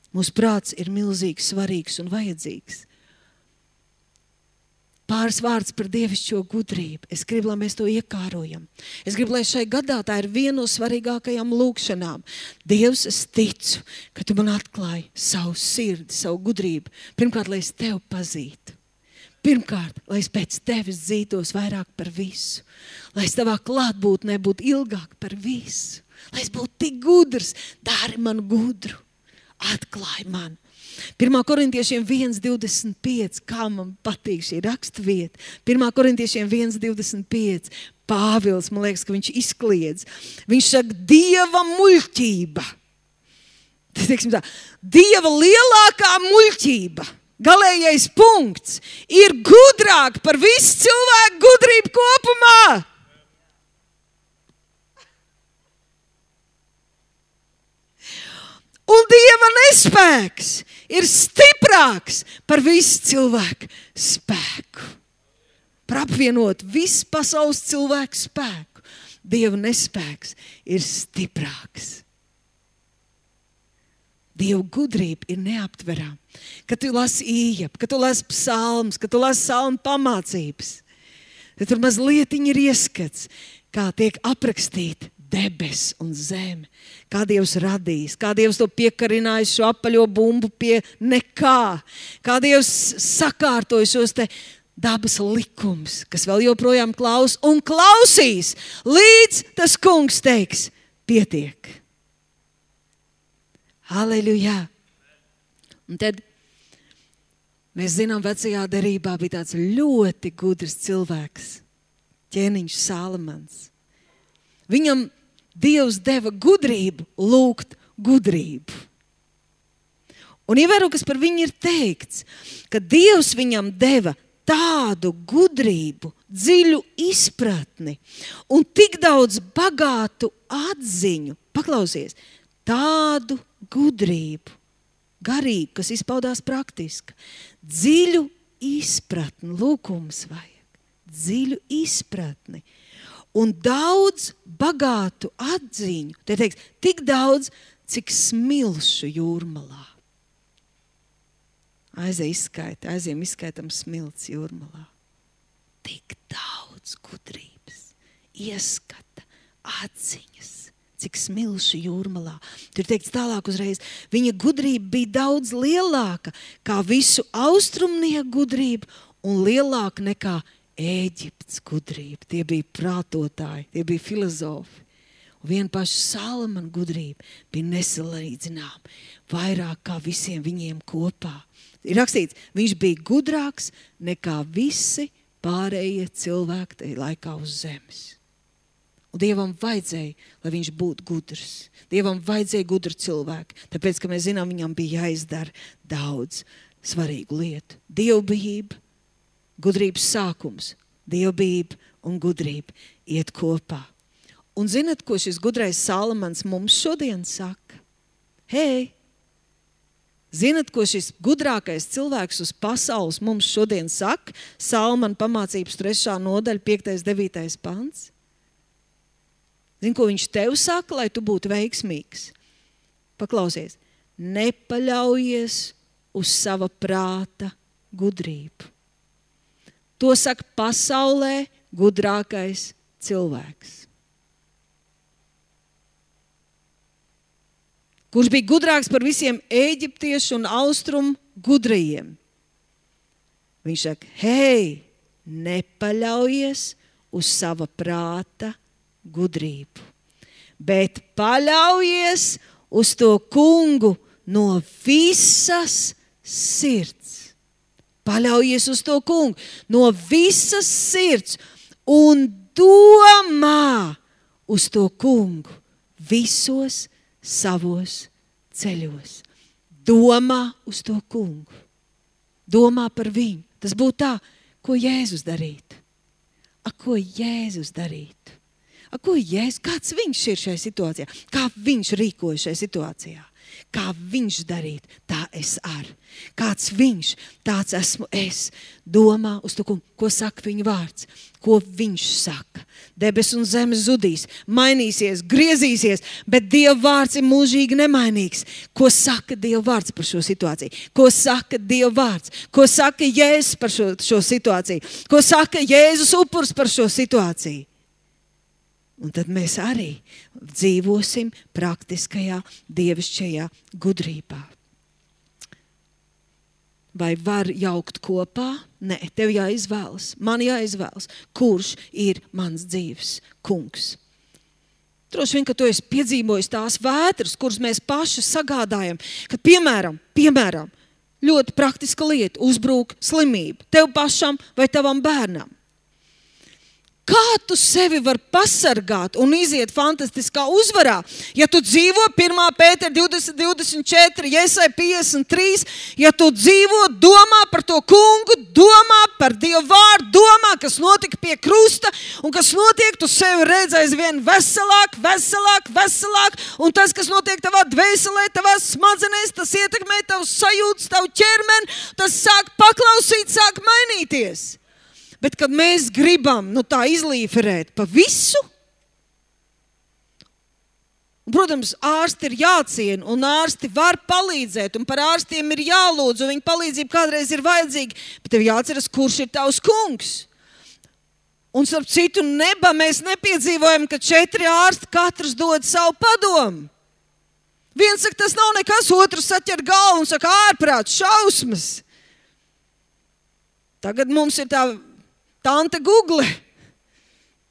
Speaker 1: Mūsu prāts ir milzīgi svarīgs un vajadzīgs. Pāris vārds par dievišķo gudrību. Es gribu, lai mēs to iekārojam. Es gribu, lai šai gadā tā ir viena no svarīgākajām lūkšanām. Dievs, es ticu, ka tu man atklāji savu sirdi, savu gudrību. Pirmkārt, lai es tevi pazītu. Pirmkārt, lai es pēc tevis dzītos vairāk par visu. Lai es tavā klātbūtnē būtu ilgāk par visu. Lai es būtu tik gudrs, dari man gudru. Atklāj man. Pirmā korintiešiem viens divdesmit pieci, kā man patīk šī rakstvieta. Pirmā korintiešiem viens divdesmit pieci, Pāvils, man liekas, ka viņš izkliedz. Viņš saka, Dieva muļķība. Teiksim tā, Dieva lielākā muļķība, galējais punkts, ir gudrāk par visu cilvēku gudrību kopumā. Un Dieva nespēks ir stiprāks par visu cilvēku spēku. Par apvienot visu pasaules cilvēku spēku. Dieva nespēks ir stiprāks. Dieva gudrība ir neaptverama. Kad tu lasi Ījabu, kad tu lasi psalmus, kad tu lasi salmu pamācības, tad tur mazlietiņi ir ieskats, kā tiek aprakstīta debes un zeme, kā Dievs radījis, kā Dievs to piekarinājis šo apaļo bumbu pie nekā, kā Dievs sakārtoja šos te dabas likums, kas vēl joprojām klaus un klausīs, līdz tas kungs teiks, pietiek. Halleluja! Un tad mēs zinām, vecajā derībā bija tāds ļoti gudrs cilvēks, ķēniņš Salamans. Viņam Dievs deva gudrību lūgt gudrību. Un ievēro, kas par viņu ir teikts, ka Dievs viņam deva tādu gudrību, dziļu izpratni un tik daudz bagātu atziņu. Paklausies, tādu gudrību, garīgu, kas izpaudās praktiski. Dziļu izpratni, lūkums vajag, dziļu izpratni. Un daudz bagātu atziņu, te teiks, tik daudz, cik smilšu jūrmalā. Aizej izskaita, aiziem izskaitam smilts jūrmalā. Tik daudz gudrības, ieskata, atziņas, cik smilšu jūrmalā. Tur teikts tālāk uzreiz, viņa gudrība bija daudz lielāka kā visu austrumnieku gudrību un lielāka nekā Ēģiptes gudrība. Tie bija prātotāji, tie bija filozofi. Un vien paša Salamana gudrība bija nesalīdzināma, vairāk kā visiem viņiem kopā. Ir rakstīts, viņš bija gudrāks nekā visi pārējie cilvēki tajā laikā uz zemes. Un Dievam vajadzēja, lai viņš būtu gudrs. Dievam vajadzēja gudru cilvēku, tāpēc, ka mēs zinām, viņam bija jāizdara daudz svarīgu lietu. Dievbijība, gudrības sākums, dievbijība un gudrība iet kopā. Un zinat, ko šis gudrais Salamans mums šodien saka? Hei! Zinat, ko šis gudrākais cilvēks uz pasaules mums šodien saka? Salamana pamācības trešā nodaļa, piektais, devītais pants. Zini, ko viņš tev saka, lai tu būtu veiksmīgs? Paklausies, nepaļaujies uz sava prāta gudrību. To saka pasaulē gudrākais cilvēks. Kurš bija gudrāks par visiem ēģiptiešu un austrumu gudrajiem. Viņš saka, hei, nepaļaujies uz sava prāta gudrību, bet paļaujies uz to kungu no visas sirds. Paļaujies uz to kungu no visas sirds un domā uz to kungu visos savos ceļos. Domā uz to kungu. Domā par viņu. Tas būtu tā, ko Jēzus darītu. A, ko Jēzus darītu? A, ko Jēzus? Kāds viņš ir šajā situācijā? Kā viņš rīkoja šajā situācijā? Kā viņš darīt, tā es ar. Kāds viņš, tāds esmu es. Domā uz to, ko saka viņa vārds, ko viņš saka. Debes un zemes zudīs, mainīsies, griezīsies, bet Dieva vārds ir mūžīgi nemainīgs. Ko saka Dieva vārds par šo situāciju? Ko saka Dieva vārds? Ko saka Jēzus par šo, šo situāciju? Ko saka Jēzus upurs par šo situāciju? Un tad mēs arī dzīvosim praktiskajā, dievišķajā gudrībā. Vai var jaukt kopā? Nē, tev jāizvēlas, man jāizvēlas, kurš ir mans dzīves kungs. Droši vien, ka tu esi piedzīvojis tās vētras, kuras mēs paši sagādājam, kad piemēram, piemēram, ļoti praktiska lieta, uzbrūk slimība tev pašam vai tavam bērnam. Kā tu sevi var pasargāt un iziet fantastiskā uzvarā, ja tu dzīvo pirmā Pētera divdesmit, divdesmit četri, Jesaja piecdesmit trīs, ja tu dzīvo, domā par to kungu, domā par Dievu vārdu, domā, kas notika pie krusta un kas notiek, tu sevi redz aizvien veselāk, veselāk, veselāk, un tas, kas notiek tavā dvēselē, tavā smadzenēs, tas ietekmē tavus sajūtas, tavu ķermeni, tas sāk paklausīt, sāk mainīties. Bet, kad mēs gribam, nu tā izlīferēt pa visu, un, protams, ārsti ir jāciena, un ārsti var palīdzēt, un par ārstiem ir jālūdz, un viņa palīdzība kādreiz ir vajadzīga, bet tev jāatceras, kurš ir tavs kungs. Un, starp citu, neba mēs nepiedzīvojam, ka četri ārsti katrs dod savu padomu. Viens saka, tas nav nekas, otrs saķer galvu un saka, ārprāts, šausmas. Tagad mums ir tā tante Google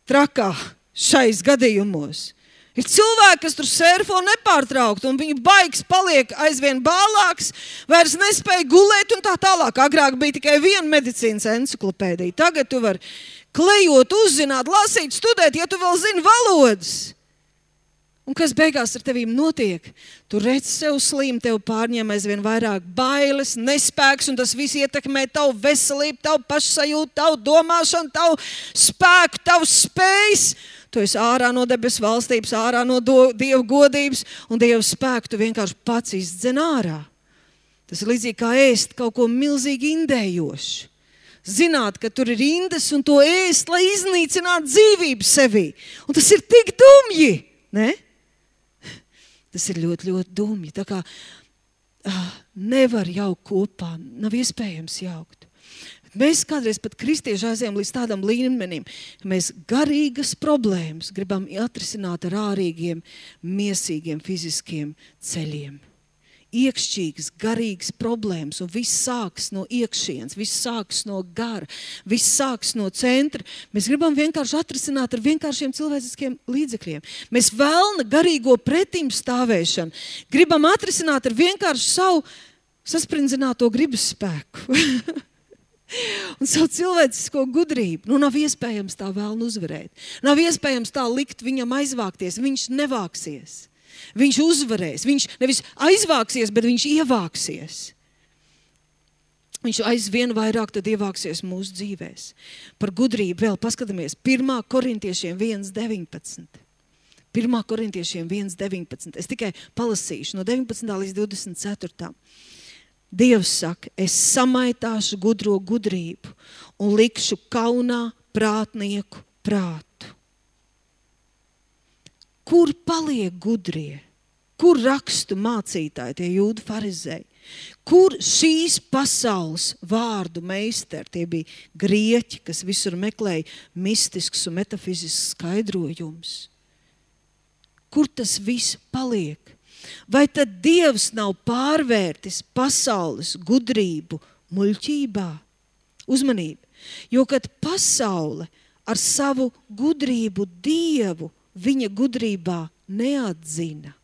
Speaker 1: trakā šais gadījumos. Ir cilvēki, kas tur surfo nepārtraukt, un viņu baigs paliek aizvien bālāks, vairs nespēja gulēt un tā tālāk. Agrāk bija tikai viena medicīnas enciklopēdija. Tagad tu vari klejot, uzzināt, lasīt, studēt, ja tu vēl zini valodas. Un kas beigās ar tevīm notiek? Tu redz sev slim, tev pārņem aizvien vairāk bailes, nespēks, un tas viss ietekmē tavu veselību, tavu pašsajūtu, tavu domāšanu, tavu spēku, tavu spējas. Tu esi ārā no debesu valstības, ārā no do, Dieva godības, un Dieva spēku tu vienkārši pats izdzen ārā. Tas ir līdzīgi kā ēst kaut ko milzīgi indējošu. Zināt, ka tur ir indes un to ēst, lai iznīcinātu dzīvību sevī. Un tas ir tik dumji, ne? Tas ir ļoti, ļoti dumji. Tā kā ah, nevar jaukt kopā, nav iespējams jaukt. Mēs kādreiz pat kristieši aizējām līdz tādam līmenim, ka mēs garīgas problēmas gribam atrisināt ar ārīgiem, miesīgiem, fiziskiem ceļiem. Iekšķīgas, garīgas problēmas, un viss sāks no iekšienes, viss sāks no gara, viss sāks no centra. Mēs gribam vienkārši atrisināt ar vienkāršiem cilvēciskiem līdzekļiem. Mēs vēlna garīgo pretim stāvēšanu gribam atrisināt ar vienkārši savu sasprindzināto gribas spēku. Un savu cilvēcisko gudrību. Nu, nav iespējams tā vēlnu uzvarēt. Nav iespējams tā likt viņam aizvākties. Viņš nevāksies. Viņš uzvarēs. Viņš nevis aizvāksies, bet viņš ievāksies. Viņš aizvien vairāk tad ievāksies mūsu dzīvēs. Par gudrību vēl paskatāmies. pirmā korintiešiem viens deviņpadsmit. pirmā korintiešiem viens deviņpadsmit. Es tikai palasīšu no deviņpadsmitā līdz divdesmit ceturtā. Dievs saka, es samaitāšu gudro gudrību un likšu kaunā prātnieku prātu. Kur paliek gudrie? Kur rakstu mācītāji, tie jūdu farizēji? Kur šīs pasaules vārdu meistari, tie bija grieķi, kas visur meklēja mistisks un metafizisks skaidrojums? Kur tas viss paliek? Vai tad Dievs nav pārvērtis pasaules gudrību muļķībā? Uzmanību, jo kad pasaule ar savu gudrību Dievu viņa gudrībā neatzina,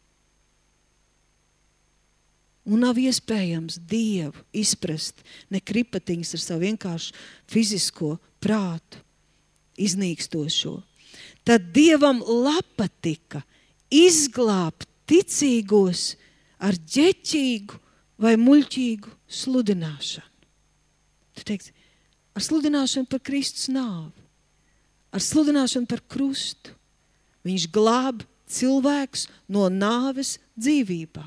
Speaker 1: un nav iespējams Dievu izprast ne kripatiņas ar savu vienkāršu fizisko prātu, iznīkstošo, tad Dievam patika izglābt ticīgos ar ģeķīgu vai muļķīgu sludināšanu. Tu teiksi, ar sludināšanu par Kristus nāvi, ar sludināšanu par krustu. Viņš glāb cilvēkus no nāves dzīvībā.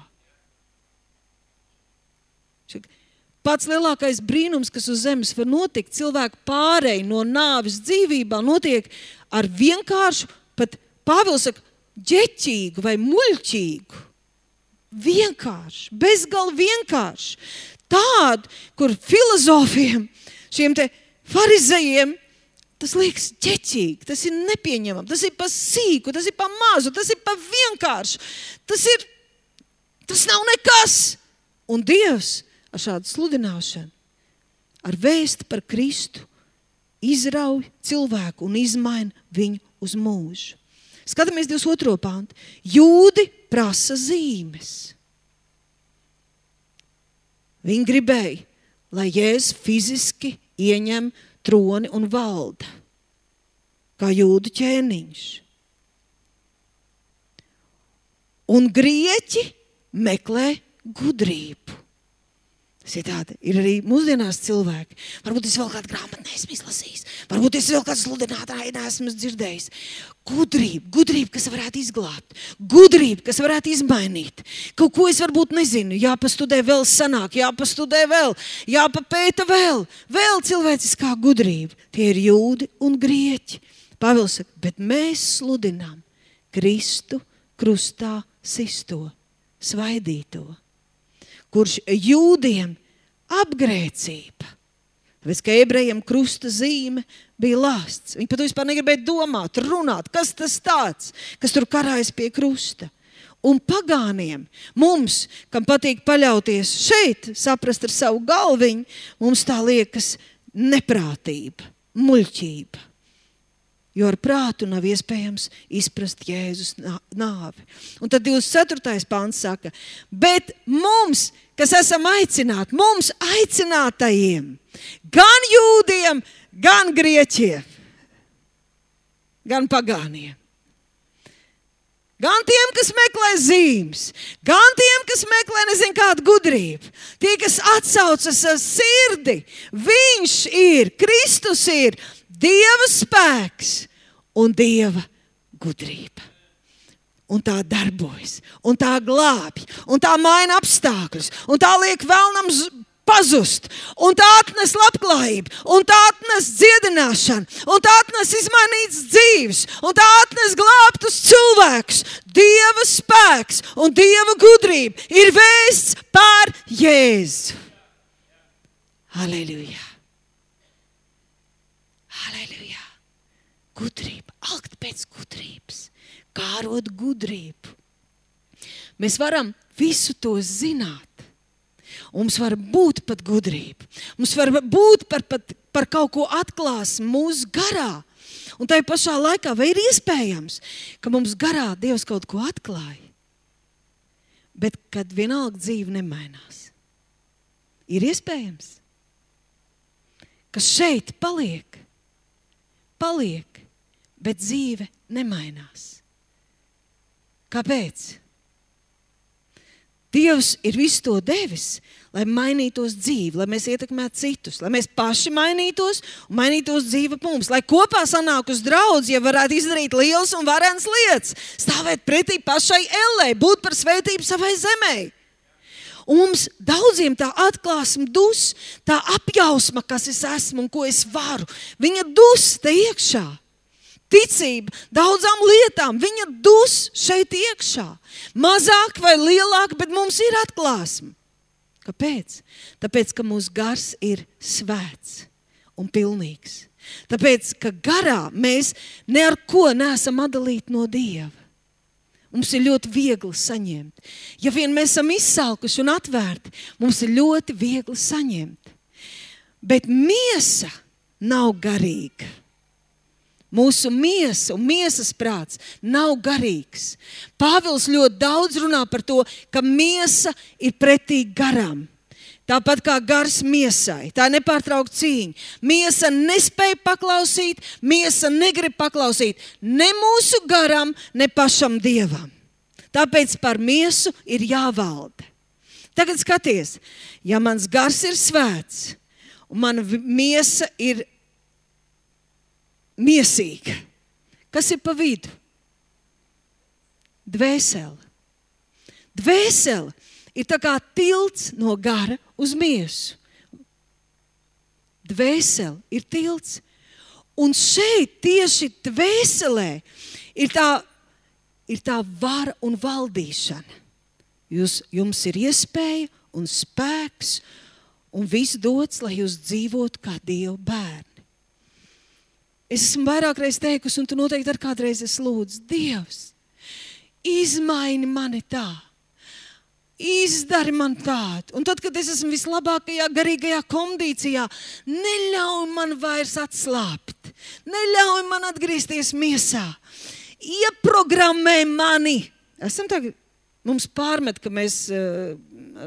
Speaker 1: Pats lielākais brīnums, kas uz zemes var notikt, cilvēku pārēj no nāves dzīvībā notiek ar vienkāršu, pat Pāvils saka, ģeķīgu vai muļķīgu. Vienkārši, bezgalīgi vienkārši. Tādu, kur filozofiem, šiem te farizejiem, tas liekas ģeķīgi, tas ir nepieņemam, tas ir pa sīku, tas ir pa mazu, tas ir pa vienkāršu. Tas ir, tas nav nekas. Un Dievs ar šādu sludināšanu, ar vēsti par Kristu, izrauj cilvēku un izmaina viņu uz mūžu. Skatāmies divdesmit otro pantu. Jūdi prasa zīmes. Viņi gribēja, lai Jēzus fiziski ieņem troni un valda, kā jūdu ķēniņš. Un grieķi meklē gudrību. Tas ir tāda, ir arī mūsdienās cilvēki. Varbūt es vēl kādu grāmatu neesmu izlasījis. Varbūt es vēl kādu sludinātāju neesmu dzirdējis. Gudrība, gudrība, kas varētu izglābt. Gudrība, kas varētu izmainīt. Kaut ko es varbūt nezinu. Jāpastudē vēl sanāk, jāpastudē vēl, jāpapēta vēl. Vēl cilvēciskā gudrība. Tie ir jūdi un grieķi. Pāvils saka, bet mēs sludinām Kristu krustā sisto, svaidīto, kurš jūdiem apgrēcība. Tāpēc, ka ebrejiem krusta zīme bija lāsts. Viņi pat vispār negribēja domāt, runāt, kas tas tāds, kas tur karājas pie krusta. Un pagāniem, mums, kam patīk paļauties šeit, saprast ar savu galviņu, mums tā liekas neprātība, muļķība. Jo ar prātu nav iespējams izprast Jēzus nāvi. Un tad divdesmit ceturtais pants saka, bet mums, kas esam aicināti, mums aicinātajiem, gan jūdiem, gan grieķiem, gan pagāniem, gan tiem, kas meklē zīmes, gan tiem, kas meklē nezinu kādu gudrību, tie, kas atsaucas ar sirdi, viņš ir, Kristus ir Dieva spēks un Dieva gudrība. Un tā darbojas, un tā glābj, un tā maina apstākļus, un tā liek vēlnam pazust, un tā atnes labklājību, un tā atnes dziedināšanu, un tā atnes izmainītas dzīves, un tā atnes glābtus cilvēkus. Dieva spēks un Dieva gudrība ir vēsts par Jēzu. Halleluja! Halleluja! Gudrība, alkt pēc gudrības, kārot gudrību. Mēs varam visu to zināt. Mums var būt pat gudrība. Mums var būt par, pat, par kaut ko atklās mūsu garā. Un tai pašā laikā vai ir iespējams, ka mums garā Dievs kaut ko atklāja, bet kad vienalga dzīve nemainās. Ir iespējams, ka šeit paliek, paliek, bet dzīve nemainās. Kāpēc? Dievs ir visu to devis, lai mainītos dzīve, lai mēs ietekmētu citus, lai mēs paši mainītos un mainītos dzīve mums, lai kopā sanāk uz draudzi, ja varētu izdarīt lielas un varenas lietas, stāvēt pretī pašai ellei, būt par svētību savai zemē. Un mums daudziem tā atklāsme dus, tā apjausma, kas es esmu un ko es varu, viņa dus te iekšā. Ticība daudzām lietām, viņa dus šeit iekšā. Mazāk vai lielāk, bet mums ir atklāsme. Kāpēc? Tāpēc, ka mūsu gars ir svēts un pilnīgs. Tāpēc, ka garā mēs ne ar ko neesam atdalīti no Dieva. Mums ir ļoti viegli saņemt. Ja vien mēs esam izsalkuši un atvērti, mums ir ļoti viegli saņemt. Bet miesa nav garīga. Mūsu miesa un miesas prāts nav garīgs. Pāvils ļoti daudz runā par to, ka miesa ir pretī garam. Tāpat kā gars miesai. Tā ir nepārtraukta cīņa. Miesa nespēja paklausīt, miesa negrib paklausīt ne mūsu garam, ne pašam Dievam. Tāpēc par miesu ir jāvalda. Tagad skaties, ja mans gars ir svēts un mana miesa ir miesīga. Kas ir pa vidu? Dvēsele. Dvēsele ir tā kā tilts no gara uz miesu. Dvēsele ir tilts. Un šeit tieši dvēselē ir tā, ir tā vara un valdīšana. Jūs, jums ir iespēja un spēks un viss dots, lai jūs dzīvotu kā Dieva bērni. Es esmu vairāk reiz teikusi, un tu noteikti ar kādreiz es lūdzu, Dievs, izmaini mani tā, izdari man tādu. Un tad, kad es esmu vislabākajā garīgajā kondīcijā, neļauj man vairs atslāpt, neļauj man atgriezties miesā, ieprogrammē mani. Esam tagad, mums pārmet, ka mēs uh,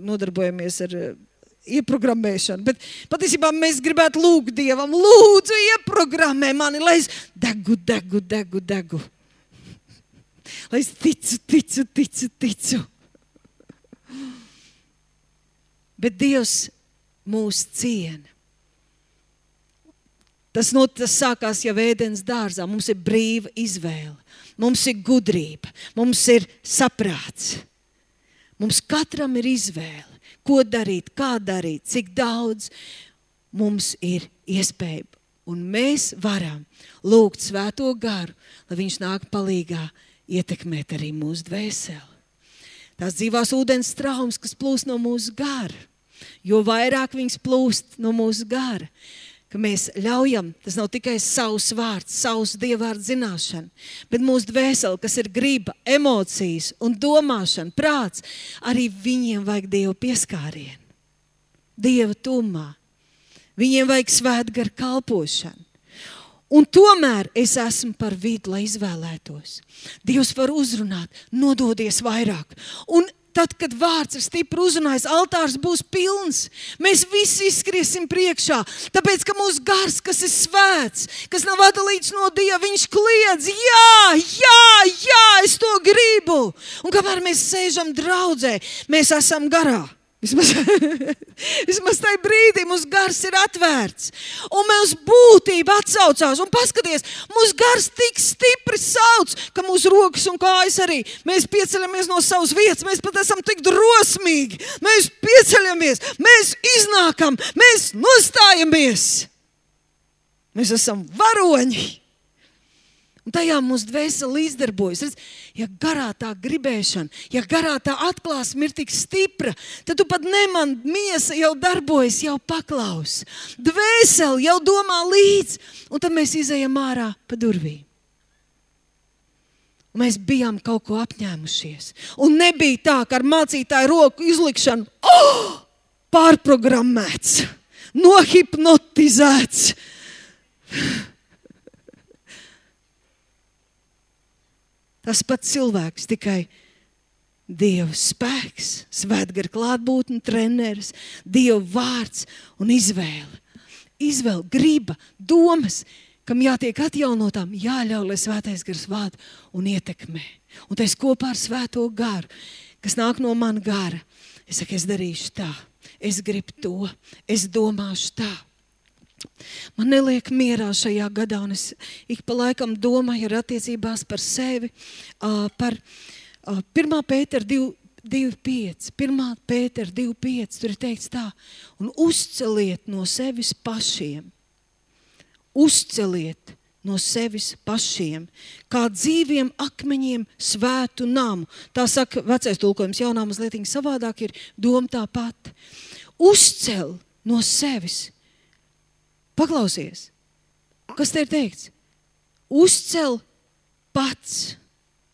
Speaker 1: nodarbojamies ar uh, ieprogrammēšanu, bet patiesībā mēs gribētu lūgt Dievam, lūdzu, ieprogrammē mani, lai es degu, degu, degu, degu. Lai es ticu, ticu, ticu, ticu. Bet Dievs mūs ciena. Tas, no, tas sākās jau Ēdens dārzā. Mums ir brīva izvēle, mums ir gudrība, mums ir saprāts. Mums katram ir izvēle. Ko darīt, kā darīt, cik daudz mums ir iespēja. Un mēs varam lūgt Svēto garu, lai viņš nāk palīgā ietekmēt arī mūsu dvēseli. Tās dzīvās ūdens traumas, kas plūst no mūsu gara, jo vairāk viņas plūst no mūsu gara, ka mēs ļaujam, tas nav tikai savs vārds, savs dievvvārds zināšana, bet mūsu dvēseli, kas ir griba, emocijas un domāšana, prāts, arī viņiem vajag Dieva pieskārienu. Dieva tumā. Viņiem vajag svētgara kalpošanu. Un tomēr es esmu par vidu, lai izvēlētos. Dievs var uzrunāt, nododies vairāk. Un tad, kad vārds ir stipri uzrunājis, altārs būs pilns. Mēs visi izskriesim priekšā, tāpēc, ka mūsu gars, kas ir svēts, kas nav atdalīts no Dieva, viņš kliedz, jā, jā, jā, es to gribu. Un kamēr mēs sēžam draudzē, mēs esam garā. Vismaz, vismaz tajā brīdī mūsu gars ir atvērts. Un mūsu būtība atsaucās. Un paskaties, mūsu gars tik stipri sauc, ka mūsu rokas un kājas arī. Mēs pieceļamies no savas vietas. Mēs pat esam tik drosmīgi. Mēs pieceļamies, mēs iznākam, mēs nostājamies. Mēs esam varoņi. Un tajā mūsu dvēsele līdzdarbojas. Redz, ja garā tā gribēšana, ja garā tā atklāsme ir tik stipra, tad tu pat neman, miesa jau darbojas, jau paklaus. Dvēsele jau domā līdz, un tad mēs izejam ārā pa durvīm. Un mēs bijām kaut ko apņēmušies. Un nebija tā, ka ar mācītāju roku izlikšanu oh, pārprogrammēts, nohipnotizēts. Tas pats cilvēks, tikai Dieva spēks, svētgara klātbūtne, treneris, Dieva vārds un izvēle. Izvēle, griba, domas, kam jātiek atjaunotām, jāļauj, lai svētais gars vada un ietekmē. Un tas kopā ar svēto garu, kas nāk no mana gara. Es saku, es darīšu tā, es gribu to, es domāšu tā. Man neliek mierā šajā gadā, un es ik pa laikam domāju ar attiecībās par sevi, uh, par uh, pirmā Pētera divi pieci. pirmā Pētera divi pieci, tur ir teikts tā, un uzceliet no sevis pašiem, uzceliet no sevis pašiem, kā dzīviem akmeņiem svētu namu. Tā saka vecais tulkojums, jaunā mazlietiņa savādāk ir doma tā pat. Uzcel no sevis. Paklausies, kas te ir teikts? Uzcel pats,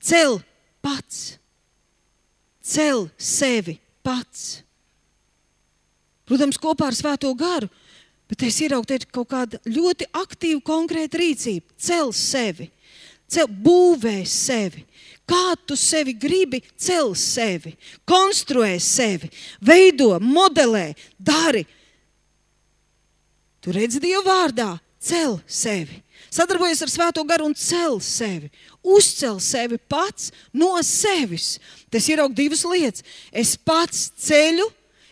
Speaker 1: cel pats, cel sevi pats. Protams, kopā ar svēto garu, bet es ieraugu, te ir kaut kāda ļoti aktīva, konkrēta rīcība. Cel sevi, cel, būvē sevi. Kā tu sevi gribi, cel sevi, konstruē sevi, veido, modelē, dari. Tu redzi Dieva vārdā, cel sevi. Sadarbojies ar svēto garu un cel sevi. Uzcel sevi pats no sevis. Tas ieraug divas lietas. Es pats ceļu,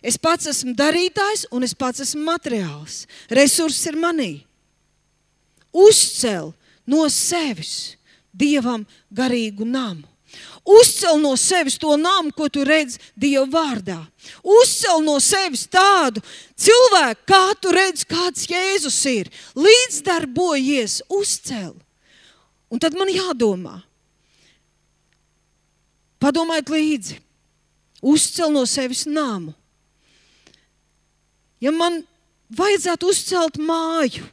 Speaker 1: es pats esmu darītājs un es pats esmu materiāls. Resurss ir manī. Uzcel no sevis Dievam garīgu namu. Uzcel no sevis to namu, ko tu redzi Dieva vārdā. Uzcel no sevis tādu cilvēku, kā tu redzi, kāds Jēzus ir. Līdzdarbojies, uzcel. Un tad man jādomā. Padomājiet līdzi. Uzcel no sevis namu. Ja man vajadzētu uzcelt māju,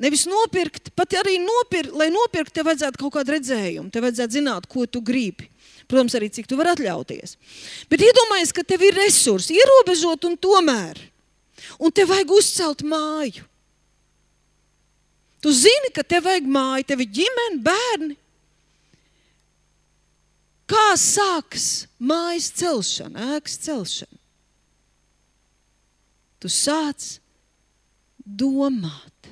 Speaker 1: nevis nopirkt, pat arī nopirkt, lai nopirkt, tev vajadzētu kaut kādu redzējumu, tev vajadzētu zināt, ko tu gribi. Protams, arī cik tu vari atļauties. Bet iedomājies, ka tev ir resursi, ierobežot un tomēr. Un tev vajag uzcelt māju. Tu zini, ka tev vajag māju, tev ir ģimene, bērni. Kā sākas mājas celšana, ēkas celšana? Tu sāc domāt.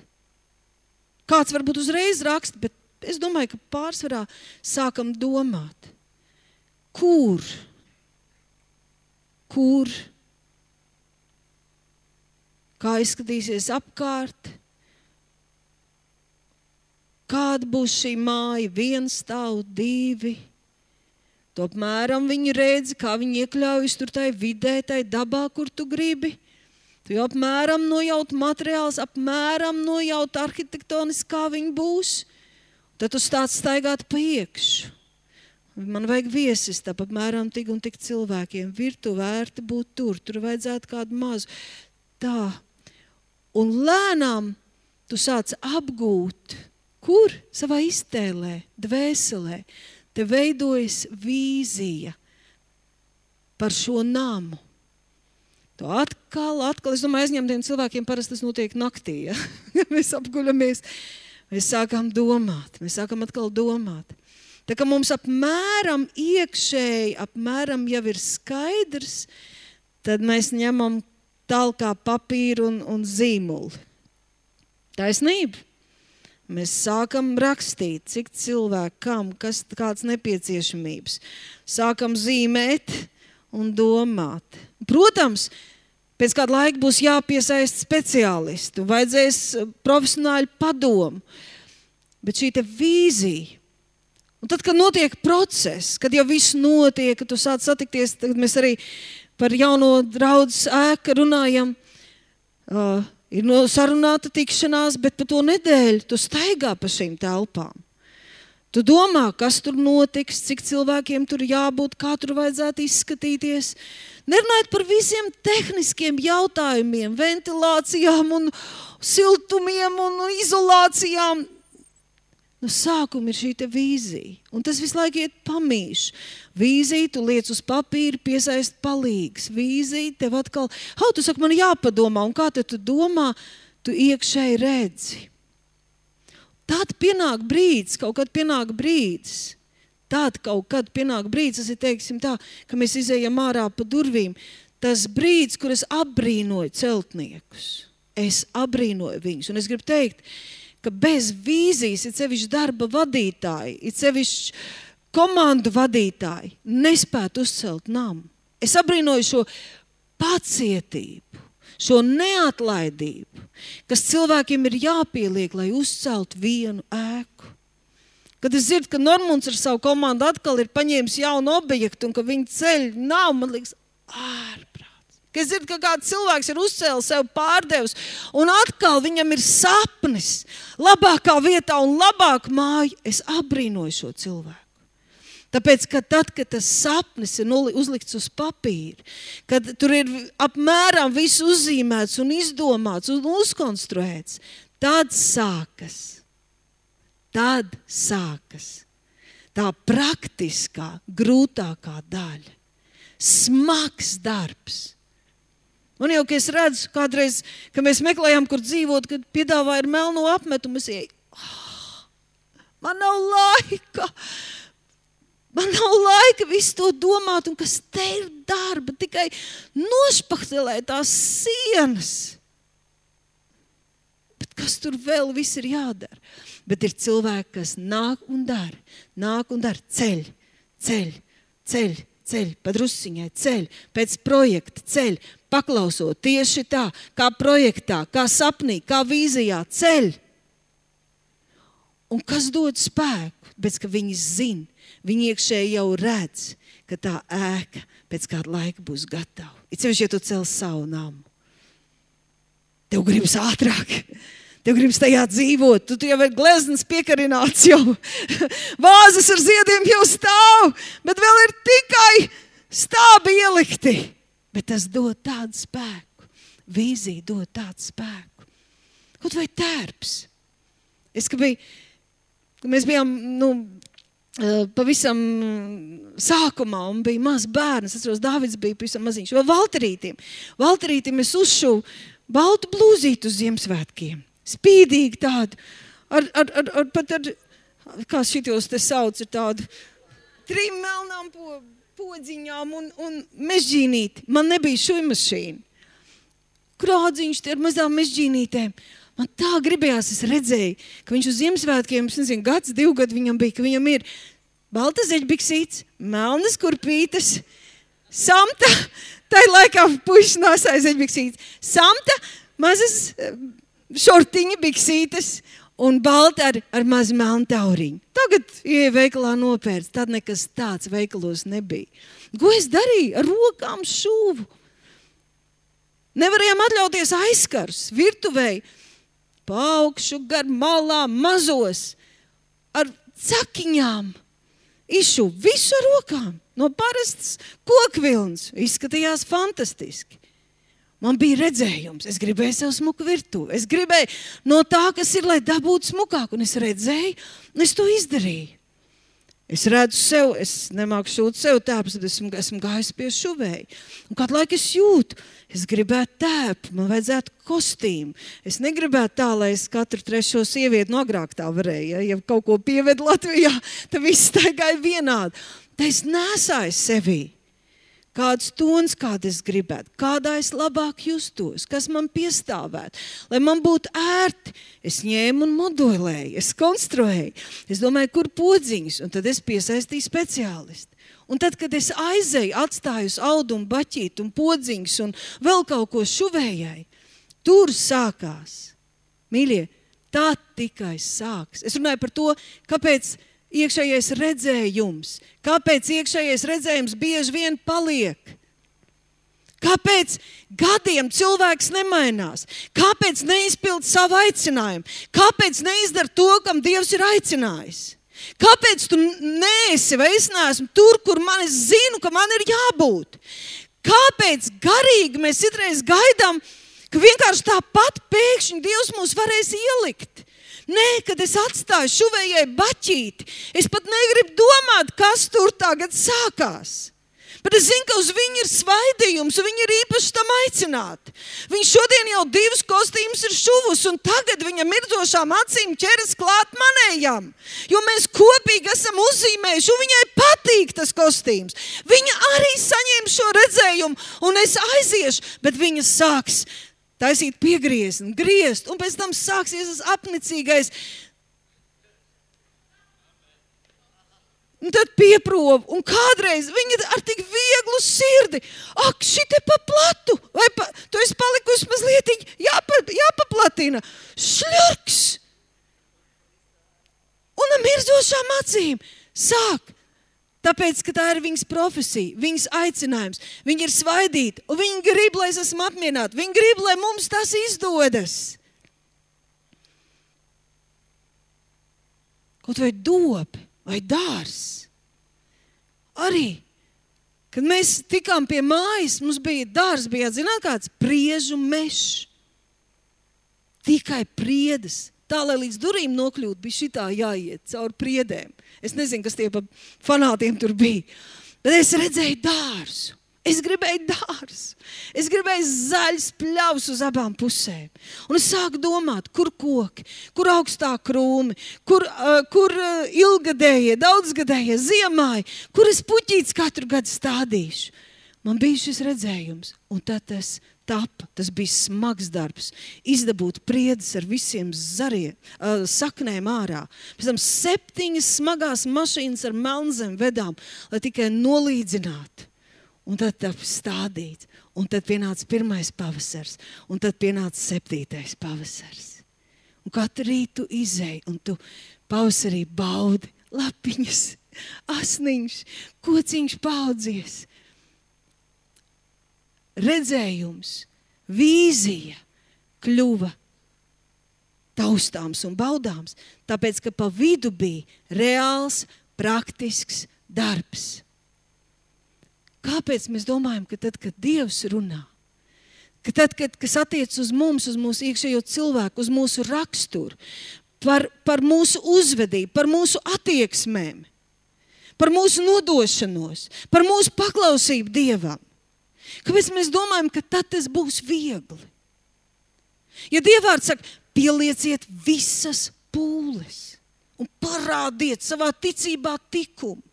Speaker 1: Kāds varbūt uzreiz raksta, bet es domāju, ka pārsvarā sākam domāt. Kur? Kur? Kā izskatīsies apkārt? Kāda būs šī māja? Viens stāv, divi. Tu apmēram viņu redzi, kā viņi iekļaujas tur tai vidē, tai dabā, kur tu gribi. Tu jau apmēram nojaut materiāls, apmēram nojaut arhitektoniski, kā viņi būs. Tad tu stāc staigāt pa iekšu. Man vajag viesis, tā apmēram tik un tik cilvēkiem. Virtu vērti būt tur, tur vajadzētu kādu mazu. Tā. Un lēnām tu sāc apgūt, kur? Savā iztēlē, dvēselē. Te veidojas vīzija par šo namu. To atkal, atkal, es domāju, aizņemtiem cilvēkiem parasti tas notiek naktī, ja? Mēs apguļamies, mēs sākam domāt, mēs sākam atkal domāt. Tā kā mums apmēram iekšēji, apmēram jau ir skaidrs, tad mēs ņemam talkā papīru un, un zīmuli. Taisnība. Mēs sākam rakstīt, cik cilvēku, kam, kas, kāds nepieciešamības. Sākam zīmēt un domāt. Protams, pēc kāda laika būs jāpiesaist speciālistu, vajadzēs profesionāļu padomu, bet šī te vīzija. Un tad, kad notiek process, kad jau viss notiek, kad tu sāc satikties, tad mēs arī par jauno draudzes ēku runājam, uh, ir no sarunāta tikšanās, bet pa to nedēļu tu staigā pa šīm telpām. Tu domā, kas tur notiks, cik cilvēkiem tur jābūt, kā tur vajadzētu izskatīties. Nerunājot par visiem tehniskiem jautājumiem, ventilācijām un siltumiem un izolācijām. No sākuma ir šī te vīzija. Un tas visu laiku iet pamīš. Vīzija, tu liec uz papīra, piesaist palīgs. Vīzija, tev atkal, hau, tu saki, man jāpadomā, un kā te tu domā, tu iekšēji redzi. Tad pienāk brīdis, kaut kad pienāk brīdis. Tad kaut kad pienāk brīdis, tas ir, teiksim tā, ka mēs izējam ārā pa durvīm. Tas brīdis, kur es apbrīnoju celtniekus. Es apbrīnoju viņus. Un es gribu teikt, ka bez vīzijas, ir sevišķi darba vadītāji, ir sevišķi komandu vadītāji, nespētu uzcelt namu. Es apbrīnoju šo pacietību, šo neatlaidību, kas cilvēkiem ir jāpieliek, lai uzceltu vienu ēku. Kad es dzirdu, ka Normunds ar savu komandu atkal ir paņēmis jaunu objektu un ka viņi ceļ nav, man liekas, ārprāts. Kad es dzirdu, ka kāds cilvēks ir uzcēlis sev pārdevs un atkal viņam ir sapnis labākā vietā un labāk māju, es apbrīnoju šo cilvēku. Tāpēc, ka tad, kad tas sapnis ir uzlikts uz papīra, kad tur ir apmēram viss uzzīmēts un izdomāts un uzkonstruēts, tad sākas, tad sākas tā praktiskā, grūtākā daļa. Smags darbs. Un jau, ka es redzu kādreiz, ka mēs meklējām, kur dzīvot, kad piedāvāja ar melno apmetumu, es ieju, oh, man nav laika. Man nav laika visu to domāt, un kas te ir darba, tikai nošpaktelēt tās sienas. Bet kas tur vēl viss ir jādara? Bet ir cilvēki, kas nāk un dara, nāk un dara, ceļ, ceļ, ceļ, ceļ, padrusiņai, ceļ, pēc projekta, ceļ, paklausot tieši tā, kā projektā, kā sapnī, kā vīzijā, ceļ. Un kas dod spēku? Bet, ka viņi zina, viņi iekšēji jau redz, ka tā ēka pēc kāda laika būs gatava. It sevišķi, ja tu cels savu namu. Tev gribas ātrāk. Tev gribas tajā dzīvot. Tu, tu jau ir gleznas piekarināts jau. Vāzes ar ziediem jau stāv, bet vēl ir tikai stābi ielikti. Bet tas dod tādu spēku. Vīzija dod tādu spēku. Kaut vai tērps. Es, ka biju, ka mēs bijām, nu, pavisam sākumā un bija maz bērns. Es atceros, Dāvids bija pavisam maziņš. Vēl Valterītim. Valterītim es uzšuvu baltu blūzītu uz Ziemassvētkiem. Spīdīgi tādu. Ar, ar, ar, ar, pat ar, kā šitos te sauc, ir tādu trim melnām po, podziņām un, un mežģīnīti. Man nebija šujmašīna. Krādziņš te ar mazām mežģīnītēm. Man tā gribējās, es redzēju, ka viņš uz Ziemassvētkiem, es nezinu, gads, divu gadu viņam bija, ka viņam ir balta zeļbiksītes, melnas kurpītes, samta, tai laikā puišas nāsāja zeļbiksītes, samta, mazas šortiņa biksītes un balta ar, ar mazu melnu tauriņu. Tagad, ja veikalā nopērts, tad nekas tāds veikalos nebija. Ko es darīju? Ar rokām šūvu. Nevarējām atļauties aizkarus, virtuvei. Paukšu gar malām, mazos, ar cakiņām, izšu visu ar rokām, no parastas kokvilnas, izskatījās fantastiski. Man bija redzējums, es gribēju sev smuku virtuvi, es gribēju no tā, kas ir, lai dabūtu smukāk, un es redzēju, un es to izdarīju. Es redzu sev, es nemāku šūt sev tēpus, tad esmu, esmu gājis pie šuvēja. Un kādu laiku es jūtu, es gribētu tēpu, man vajadzētu kostīmu. Es negribētu tā, lai es katru trešo sievieti no agrāk tā varēju. Ja, ja kaut ko pieved Latvijā, tad viss staigāja vienādi. Tā es nesāju sevī. Kāds tons, kādu es gribētu, kādā es labāk justos, kas man piestāvētu, lai man būtu ērti. Es ņēmu un modelēju, es konstruēju, es domāju, kur podziņas, un tad es piesaistīju speciālistu. Un tad, kad es aizēju, atstāju uz audumu, baķīt un podziņas un vēl kaut ko šuvējai, tur sākās. Mīļie, tā tikai sāks. Es runāju par to, kāpēc iekšējais redzējums. Kāpēc iekšējais redzējums bieži vien paliek? Kāpēc gadiem cilvēks nemainās? Kāpēc neizpild savu aicinājumu? Kāpēc neizdara to, kam Dievs ir aicinājis? Kāpēc tu neesi vai es neesmu tur, kur man es zinu, ka man ir jābūt? Kāpēc garīgi mēs citreiz gaidām, ka vienkārši tāpat pēkšņi Dievs mūs varēs ielikt? Nē, kad es atstāju šuvējai baķīti, es pat negribu domāt, kas tur tagad sākās. Bet es zinu, ka uz viņu ir svaidījums, un viņi ir īpaši tam aicināti. Viņš šodien jau divus kostīmus ir šuvus, un tagad viņa mirdzošām acīm ķeras klāt manējām. Jo mēs kopīgi esam uzzīmējuši, un viņai patīk tas kostīms. Viņa arī saņēma šo redzējumu, un es aiziešu, bet viņa sāks taisīt piegriezni, griezt, un pēc tam sāksies tas apnicīgais. Un tad pieprobu, un kādreiz viņa ar tik vieglu sirdi, ak, šite pa platu, vai pa, tu esi palikusi mazliet jāpa, jāpaplatina, šļurks. Un ar mirdzošām acīm sāk. Tāpēc, ka tā ir viņas profesija, viņas aicinājums. Viņi ir svaidīti, un viņi grib, lai es esmu apmierināti. Viņi grib, lai mums tas izdodas. Kaut vai dobi, vai dārs. Arī, kad mēs tikām pie mājas, mums bija dārs, bija, zināt kāds, priežu mešs. Tikai priedes. Tā, lai līdz durīm nokļūt, bija šitā jāiet caur priedēm. Es nezinu, kas tie pa fanātiem tur bija. Bet es redzēju dārzu. Es gribēju dārzu. Es gribēju zaļus pļavus uz abām pusēm. Un es sāku domāt, kur koki, kur augstā krūmi, kur, uh, kur uh, ilgadējie, daudzgadējie, ziemāji, kur es puķītes katru gadu stādīšu. Man bija šis redzējums, un tad tas tapa, tas bija smags darbs, izdabūt priedes ar visiem zariem, uh, saknēm ārā. Pēc tam septiņas smagās mašīnas ar melnzem vedām, lai tikai nolīdzinātu. Un tad tapa stādīt, un tad pienāca pirmais pavasars, un tad pienāca septītais pavasars. Un katru rītu izēj, un tu pavasarī baudi lapiņas, asniņš, kociņš paudzies. Redzējums, vīzija kļuva taustāms un baudāms, tāpēc, ka pa vidu bija reāls, praktisks darbs. Kāpēc mēs domājam, ka tad, kad Dievs runā, ka tad, kad, kas attiec uz mums, uz mūsu iekšējo cilvēku, uz mūsu raksturu, par, par mūsu uzvedību, par mūsu attieksmēm, par mūsu nodošanos, par mūsu paklausību Dievam, kāpēc mēs domājam, ka tad tas būs viegli? Ja Dievvārds saka, pielieciet visas pūles un parādiet savā ticībā tikumu.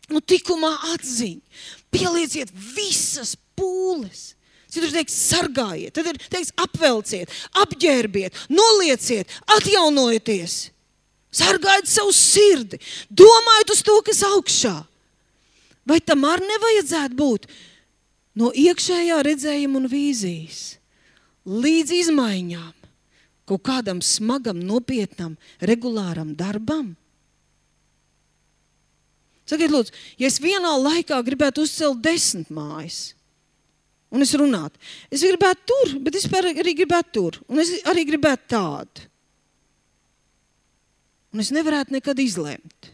Speaker 1: Un tikumā atziņu. Pielieciet visas pūles. Citur teiks, sargājiet, tad ir teiks, apvelciet, apģērbiet, nolieciet, atjaunojieties. Sargājiet savu sirdi, domājiet uz to, kas augšā. Vai tam arī nevajadzētu būt? No iekšējā redzējuma un vīzijas līdz izmaiņām, kaut kādam smagam, nopietnam, regulāram darbam. Sakiet, lūdzu, ja es vienā laikā gribētu uzcelt desmit mājas, un es runātu, es gribētu tur, bet es arī gribētu tur, un es arī gribētu tādu. Un es nevarētu nekad izlemt.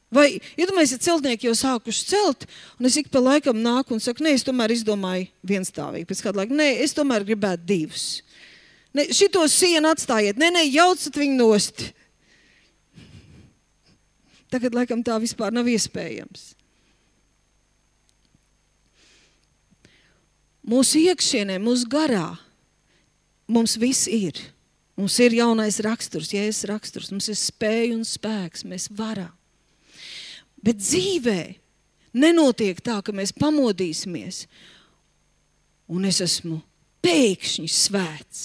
Speaker 1: Vai, iedomājies, ja celtnieki jau sākuši celt, un es ik pa laikam nāku un saku, nē, es tomēr izdomāju vienstāvīgi, pēc kādu laiku, nē, es tomēr gribētu divus. Ne, šito sienu atstājiet, nē, nē, jaucat viņu nost. Tagad, laikam, tā vispār nav iespējams. Mūsu iekšienē, mūsu garā, mums viss ir. Mums ir jaunais raksturs, Jēzus raksturs, mums ir spēja un spēks, mēs varam. Bet dzīvē nenotiek tā, ka mēs pamodīsimies un es esmu pēkšņi svēts,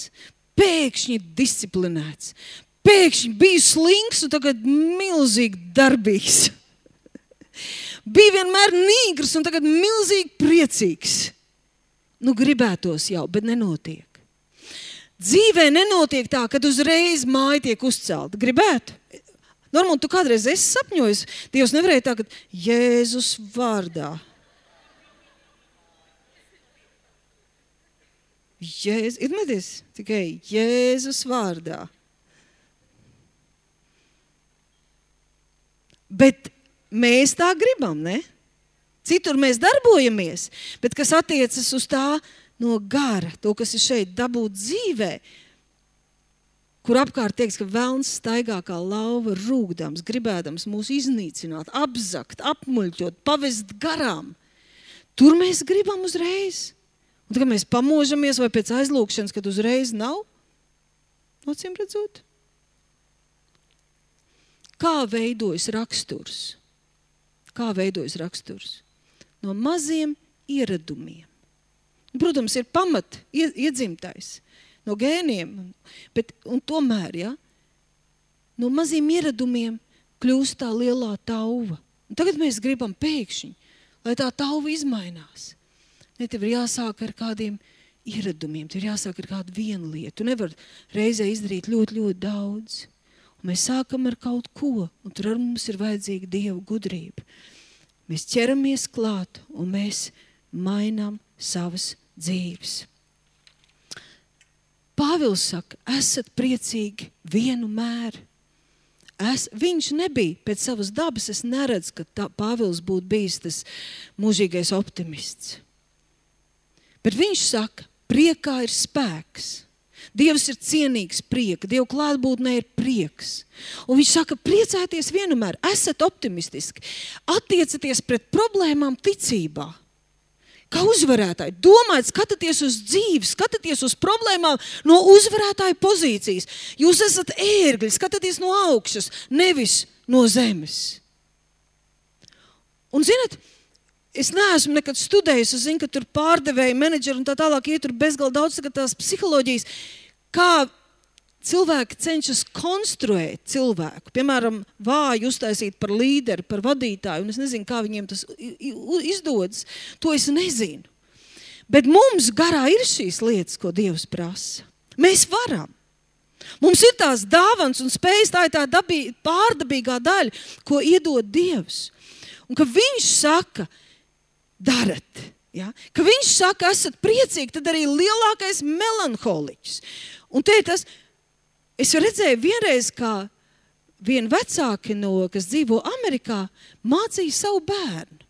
Speaker 1: pēkšņi disciplinēts, pēkšņi biju slinks un tagad milzīgi darbīgs. Bija vienmēr nīgrs un tagad milzīgi priecīgs. Nu, gribētos jau, bet nenotiek. Dzīvē nenotiek tā, kad uzreiz māja tiek uzcelta. Gribētu? Normāli, tu kādreiz esi sapņojis, Dievs nevarēja tā, ka Jēzus vārdā. Jēzus, ir medies? Tikai Jēzus vārdā. Bet mēs tā gribam, ne? Citur mēs darbojamies, bet kas attiecas uz tā no gara, to, kas ir šeit dabūt dzīvē, kur apkārt teiks, ka velns staigā kā lauva rūgdams, gribēdams mūs iznīcināt, apzakt, apmuļķot, pavest garām. Tur mēs gribam uzreiz. Un tagad mēs pamožamies vai pēc aizlūkšanas, kad uzreiz nav, acīm redzot. Kā veidojas raksturs? Kā veidojas raksturs? No maziem ieradumiem. Protams, ir pamat iedzimtais no gēniem, bet un tomēr, ja, no maziem ieradumiem kļūst tā lielā tauva. Un tagad mēs gribam pēkšņi, lai tā tauva izmainās. Ne, tev ir jāsāk ar kādiem ieradumiem, tev ir jāsāk ar kādu vienu lietu. Tu nevar reizē izdarīt ļoti, ļoti daudz. Un mēs sākam ar kaut ko, un tur ar mums ir vajadzīga Dieva gudrība. Mēs ķeramies klāt un mēs mainām savas dzīves. Pāvils saka, esat priecīgi vienu mēru. Es, viņš nebija pēc savas dabas, es neredzu, ka tā, Pāvils būtu bijis tas mūžīgais optimists. Bet viņš saka, priekā ir spēks. Dievs ir cienīgs prieka, Dieva klātbūtnē ir prieks. Un viņš saka, priecājieties vienmēr, esat optimistiski, attiecaties pret problēmām ticībā. Kā uzvarētāji, domājiet, skatieties uz dzīvi, skatieties uz problēmām no uzvarētāja pozīcijas. Jūs esat ērgļi, skatieties no augšas, nevis no zemes. Un zināt, es neesmu nekad studējis, es zinu, ka tur pārdevēja menedžeri un tā tālāk iet tur bezgalīgi daudz tās psiholoģijas, kā cilvēki cenšas konstruēt cilvēku. Piemēram, vāju uztaisīt par līderi, par vadītāju, un es nezinu, kā viņiem tas izdodas. To es nezinu. Bet mums garā ir šīs lietas, ko Dievs prasa. Mēs varam. Mums ir tās dāvans un spējas, tā ir tā dabī, pārdabīgā daļa, ko iedod Dievs. Un ka viņš saka, darat. Ja? Ka viņš saka, esat priecīgi, tad arī lielākais melanholiķis. Un te ir tas, es redzēju vienreiz, kā vien vecāki, no, kas dzīvo Amerikā, mācīja savu bērnu.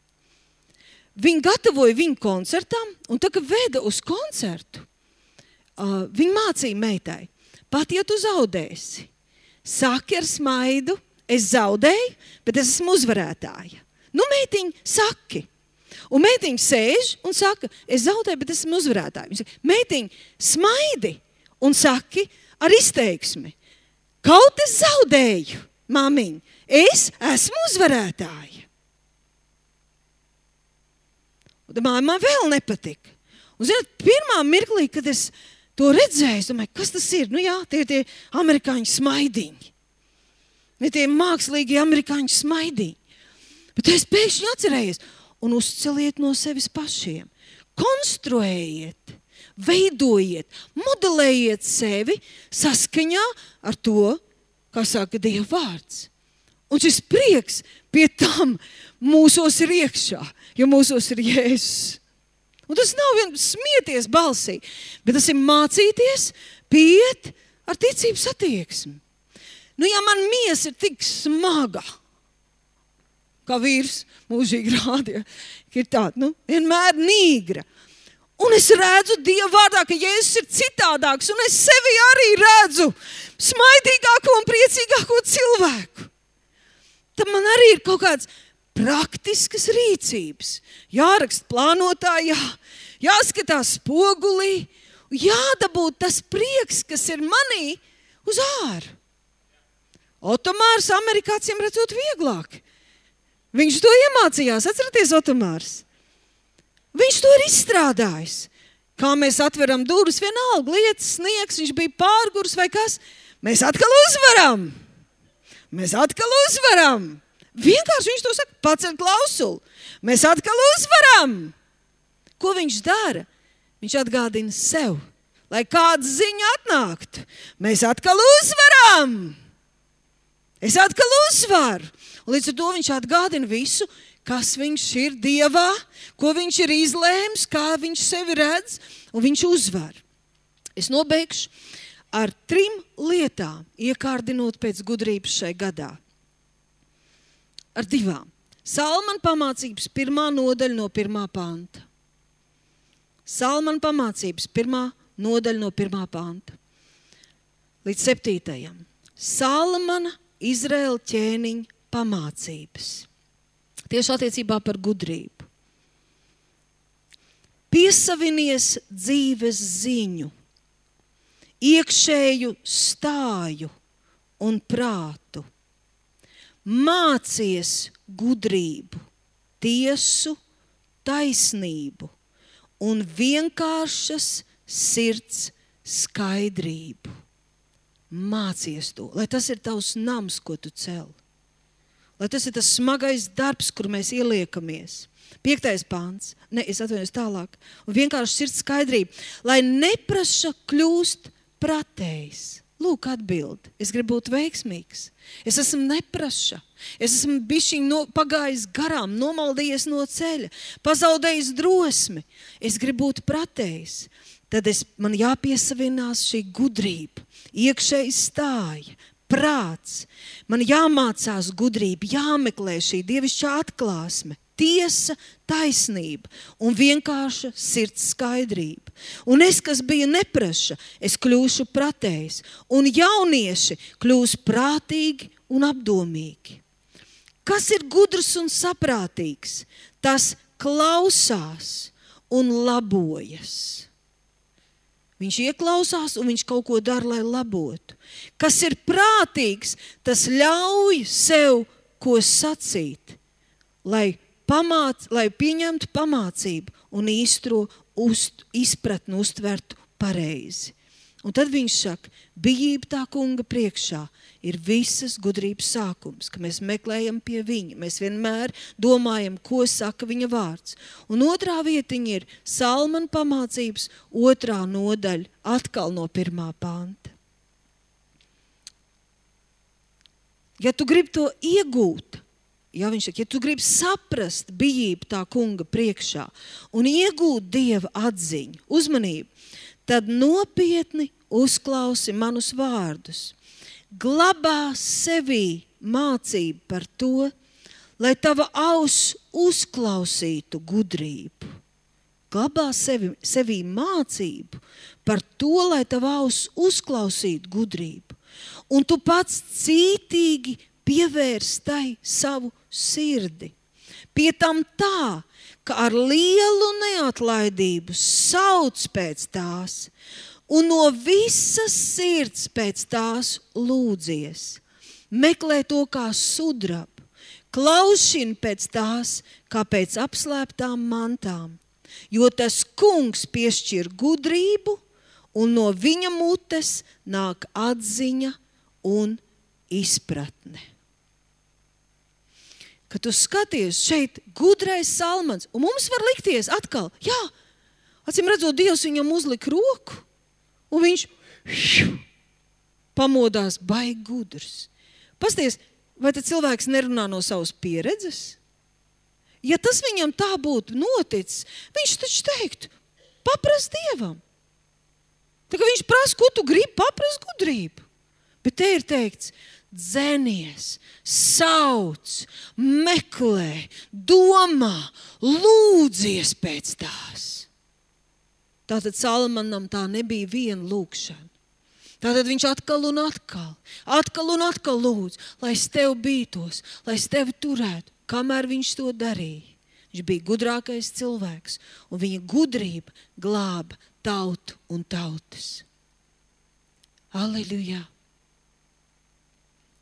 Speaker 1: Viņi gatavoja viņu koncertam, un tā, ka veda uz koncertu, uh, viņi mācīja meitai, pat ja tu zaudēsi, saki ar smaidu, es zaudēju, bet es esmu uzvarētāja. Nu, meitiņ, saki. Un meitiņa sēž un saka, es zaudēju, bet esmu uzvarētāja. Viņa saka, meitiņ, smaidi un saki ar izteiksmi. Kaut es zaudēju, māmiņ, es esmu uzvarētāja. Un māja man vēl nepatika. Un, zināt, pirmā mirklī, kad es to redzēju, es domāju, kas tas ir? Nu jā, tie ir tie amerikāņu smaidiņi. Ne tie mākslīgi amerikāņu smaidiņi. Bet es pēkšņi atcerējies. Un uzceliet no sevis pašiem. Konstruējiet, veidojiet, modelējiet sevi saskaņā ar to, kā saka Dieva vārds. Un šis prieks pie tam mūsos ir iekšā, jo mūsos ir Jēzus. Un tas nav vien smieties balsī, bet tas ir mācīties pieiet ar ticības attieksmi. Nu, ja man miesa ir tik smaga, kā vīrs mūžīgi rādīja, ka ir tāda, nu, vienmēr nīgra. Un es redzu Dieva vārdā, ka Jēzus ir citādāks, un es sevi arī redzu smaidīgāko un priecīgāko cilvēku. tad man arī ir kaut kāds praktiskas rīcības. Jāraksta plānotā, jā, jāskatās spogulī, jādabūt tas prieks, kas ir manī uz āru. Otomārs amerikāciem redzot vieglāk. Viņš to iemācījās, atceraties Otomārs. Viņš to ir izstrādājis. Kā mēs atveram durvis, vienalga lietas, sniegs, viņš bija pārgurs vai kas. Mēs atkal uzvaram. Mēs atkal uzvaram. Vienkārši viņš to saka, pacel klausuli. Mēs atkal uzvaram. Ko viņš dara? Viņš atgādina sev, lai kāda ziņa atnāktu. Mēs atkal uzvaram. Es atkal uzvaru. Un līdz ar to viņš atgādina visu, kas viņš ir Dievā, ko viņš ir izlēms, kā viņš sevi redz, un viņš uzvar. Es nobeigšu ar trim lietām, iekārdinot pēc gudrības šai gadā. Ar divām. Salmana pamācības pirmā nodaļa no pirmā panta. Salmana pamācības pirmā nodaļa no pirmā panta. Līdz septītajam. Salmana Izraēla ķēniņa pamācības. Tieši attiecībā par gudrību. Piesavinies dzīves ziņu, iekšēju stāju un prātu. Mācies gudrību, tiesu, taisnību un vienkāršas sirds skaidrību. Mācies to, lai tas ir tavs nams, ko tu cel. Lai tas ir tas smagais darbs, kur mēs ieliekamies. Piektais pāns. Ne, es atvainojos tālāk. Un vienkārši sirds skaidrība. Lai nepraša kļūst pratējs. Lūk, atbildi. Es gribu būt veiksmīgs. Es esmu nepraša. Es esmu bišķiņ no, pagājis garām, nomaldījies no ceļa, pazaudējis drosmi. Es gribu būt pratējs. Tad es, man jāpiesavinās šī gudrība, iekšēji stāja, prāts. Man jāmācās gudrība, jāmeklē šī dievišķā atklāsme, tiesa, taisnība un vienkārša sirds skaidrība. Un es, kas biju nepraša, es kļūšu pratējs, un jaunieši kļūs prātīgi un apdomīgi. Kas ir gudrs un saprātīgs? Tas klausās un labojas. Viņš ieklausās un viņš kaut ko dara, lai labotu. Kas ir prātīgs, tas ļauj sev ko sacīt, lai, pamāc, lai pieņemtu pamācību un īstro uzt, izpratni uztvertu pareizi. Un tad viņš saka, bijība tā kunga priekšā ir visas gudrības sākums, ka mēs meklējam pie viņa. Mēs vienmēr domājam, ko saka viņa vārds. Un otrā vietiņa ir Salmana pamācības otrā nodaļa, atkal no pirmā panta. Ja tu gribi to iegūt, ja viņš saka, ja tu gribi saprast bijību tā kunga priekšā un iegūt Dieva atziņu, uzmanību, tad nopietni uzklausi manus vārdus. Glabā sevī mācību par to, lai tava auss uzklausītu gudrību. Glabā sevi, sevī mācību par to, lai tava auss uzklausītu gudrību. Un tu pats cītīgi pievērs tai savu sirdi. Pie tam tā, ka ar lielu neatlaidību sauc pēc tās un no visas sirds pēc tās lūdzies. Meklē to kā sudrabu, klaušini pēc tās kā pēc apslēptām mantām, jo tas kungs piešķir gudrību un no viņa mutes nāk atziņa un izpratne. Kad tu skaties šeit gudrais Salmans, un mums var likties atkal, jā, acīm redzot, Dievs viņam uzlika roku, un viņš šiu, pamodās baigi gudrs. Pasties, vai tad cilvēks nerunā no savas pieredzes? Ja tas viņam tā būtu noticis, viņš taču teiktu, paprast Dievam. Tā kā viņš prasa, ko tu gribi, paprast gudrību. Bet te ir teikts, dzenies, sauc, meklē, domā, lūdzies pēc tās. Tātad Salmanam tā nebija viena lūkšana. Tātad viņš atkal un atkal, atkal un atkal lūdz, lai es tev bītos, lai es tevi turētu, kamēr viņš to darīja. Viņš bija gudrākais cilvēks, un viņa gudrība glāba tautu un tautas. Halleluja!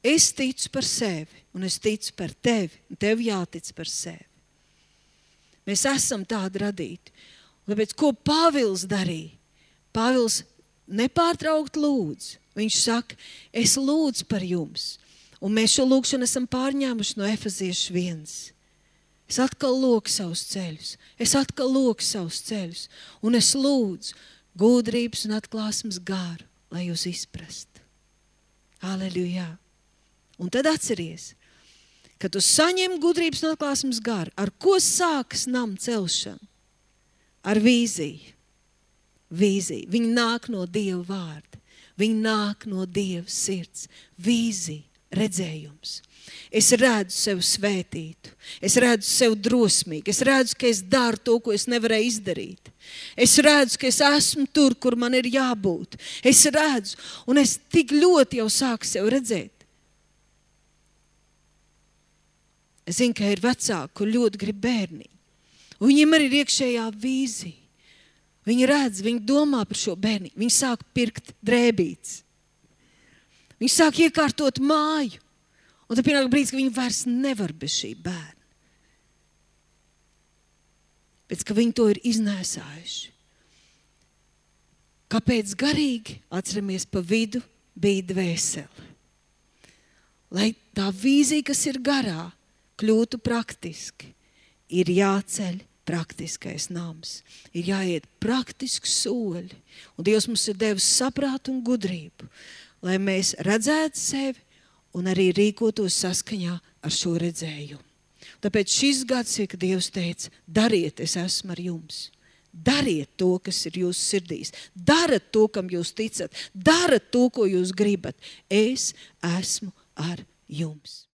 Speaker 1: Es ticu par sevi, un es ticu par tevi, un tev jātic par sevi. Mēs esam tādi radīti. Un tāpēc, ko Pāvils darīja? Pāvils nepārtraukt lūdz. Viņš saka, es lūdzu par jums. Un mēs šo lūgšanu esam pārņēmuši no Efeziešu viens. Es atkal loku savus ceļus. Es atkal loku savus ceļus. Un es lūdzu gudrības un atklāsmes garu, lai jūs izprastu. Halleluja! Un tad atceries, ka tu saņem gudrības un atklāsmes garu, ar ko sākas nama celšana? Ar vīziju. Vīzija. Viņa nāk no Dieva vārda. Viņa nāk no Dieva sirds. Vīzija, redzējums. Es redzu sevi svētītu. Es redzu sevi drosmīgu. Es redzu, ka es daru to, ko es nevarēju izdarīt. Es redzu, ka es esmu tur, kur man ir jābūt. Es redzu, un es tik ļoti jau sāku sevi redzēt. Es zinu, ka ir vecāki, kur ļoti grib bērniņu. Un viņiem arī ir iekšējā vīzija. Viņi redz, viņi domā par šo bērniņu. Viņi sāk pirkt drēbītes. Viņi sāk iekārtot māju. Un tad pienāk brīdis, ka viņi vairs nevar bez šī bērna. Pēc, ka viņi to ir iznēsājuši. Kāpēc garīgi? Atceramies, pa vidu bija dvēsele. Lai tā vīzija, kas ir garā, kļūtu praktiski, ir jāceļ praktiskais nams. Ir jāiet praktiski soļi. Un Dievs mums ir devis saprātu un gudrību, lai mēs redzētu sevi un arī rīkotos saskaņā ar šo redzējumu. Tāpēc šis gads ir, ka Dievs teica, dariet, es esmu ar jums. Dariet to, kas ir jūsu sirdīs. Darat to, kam jūs ticat. Darat to, ko jūs gribat. Es esmu ar jums.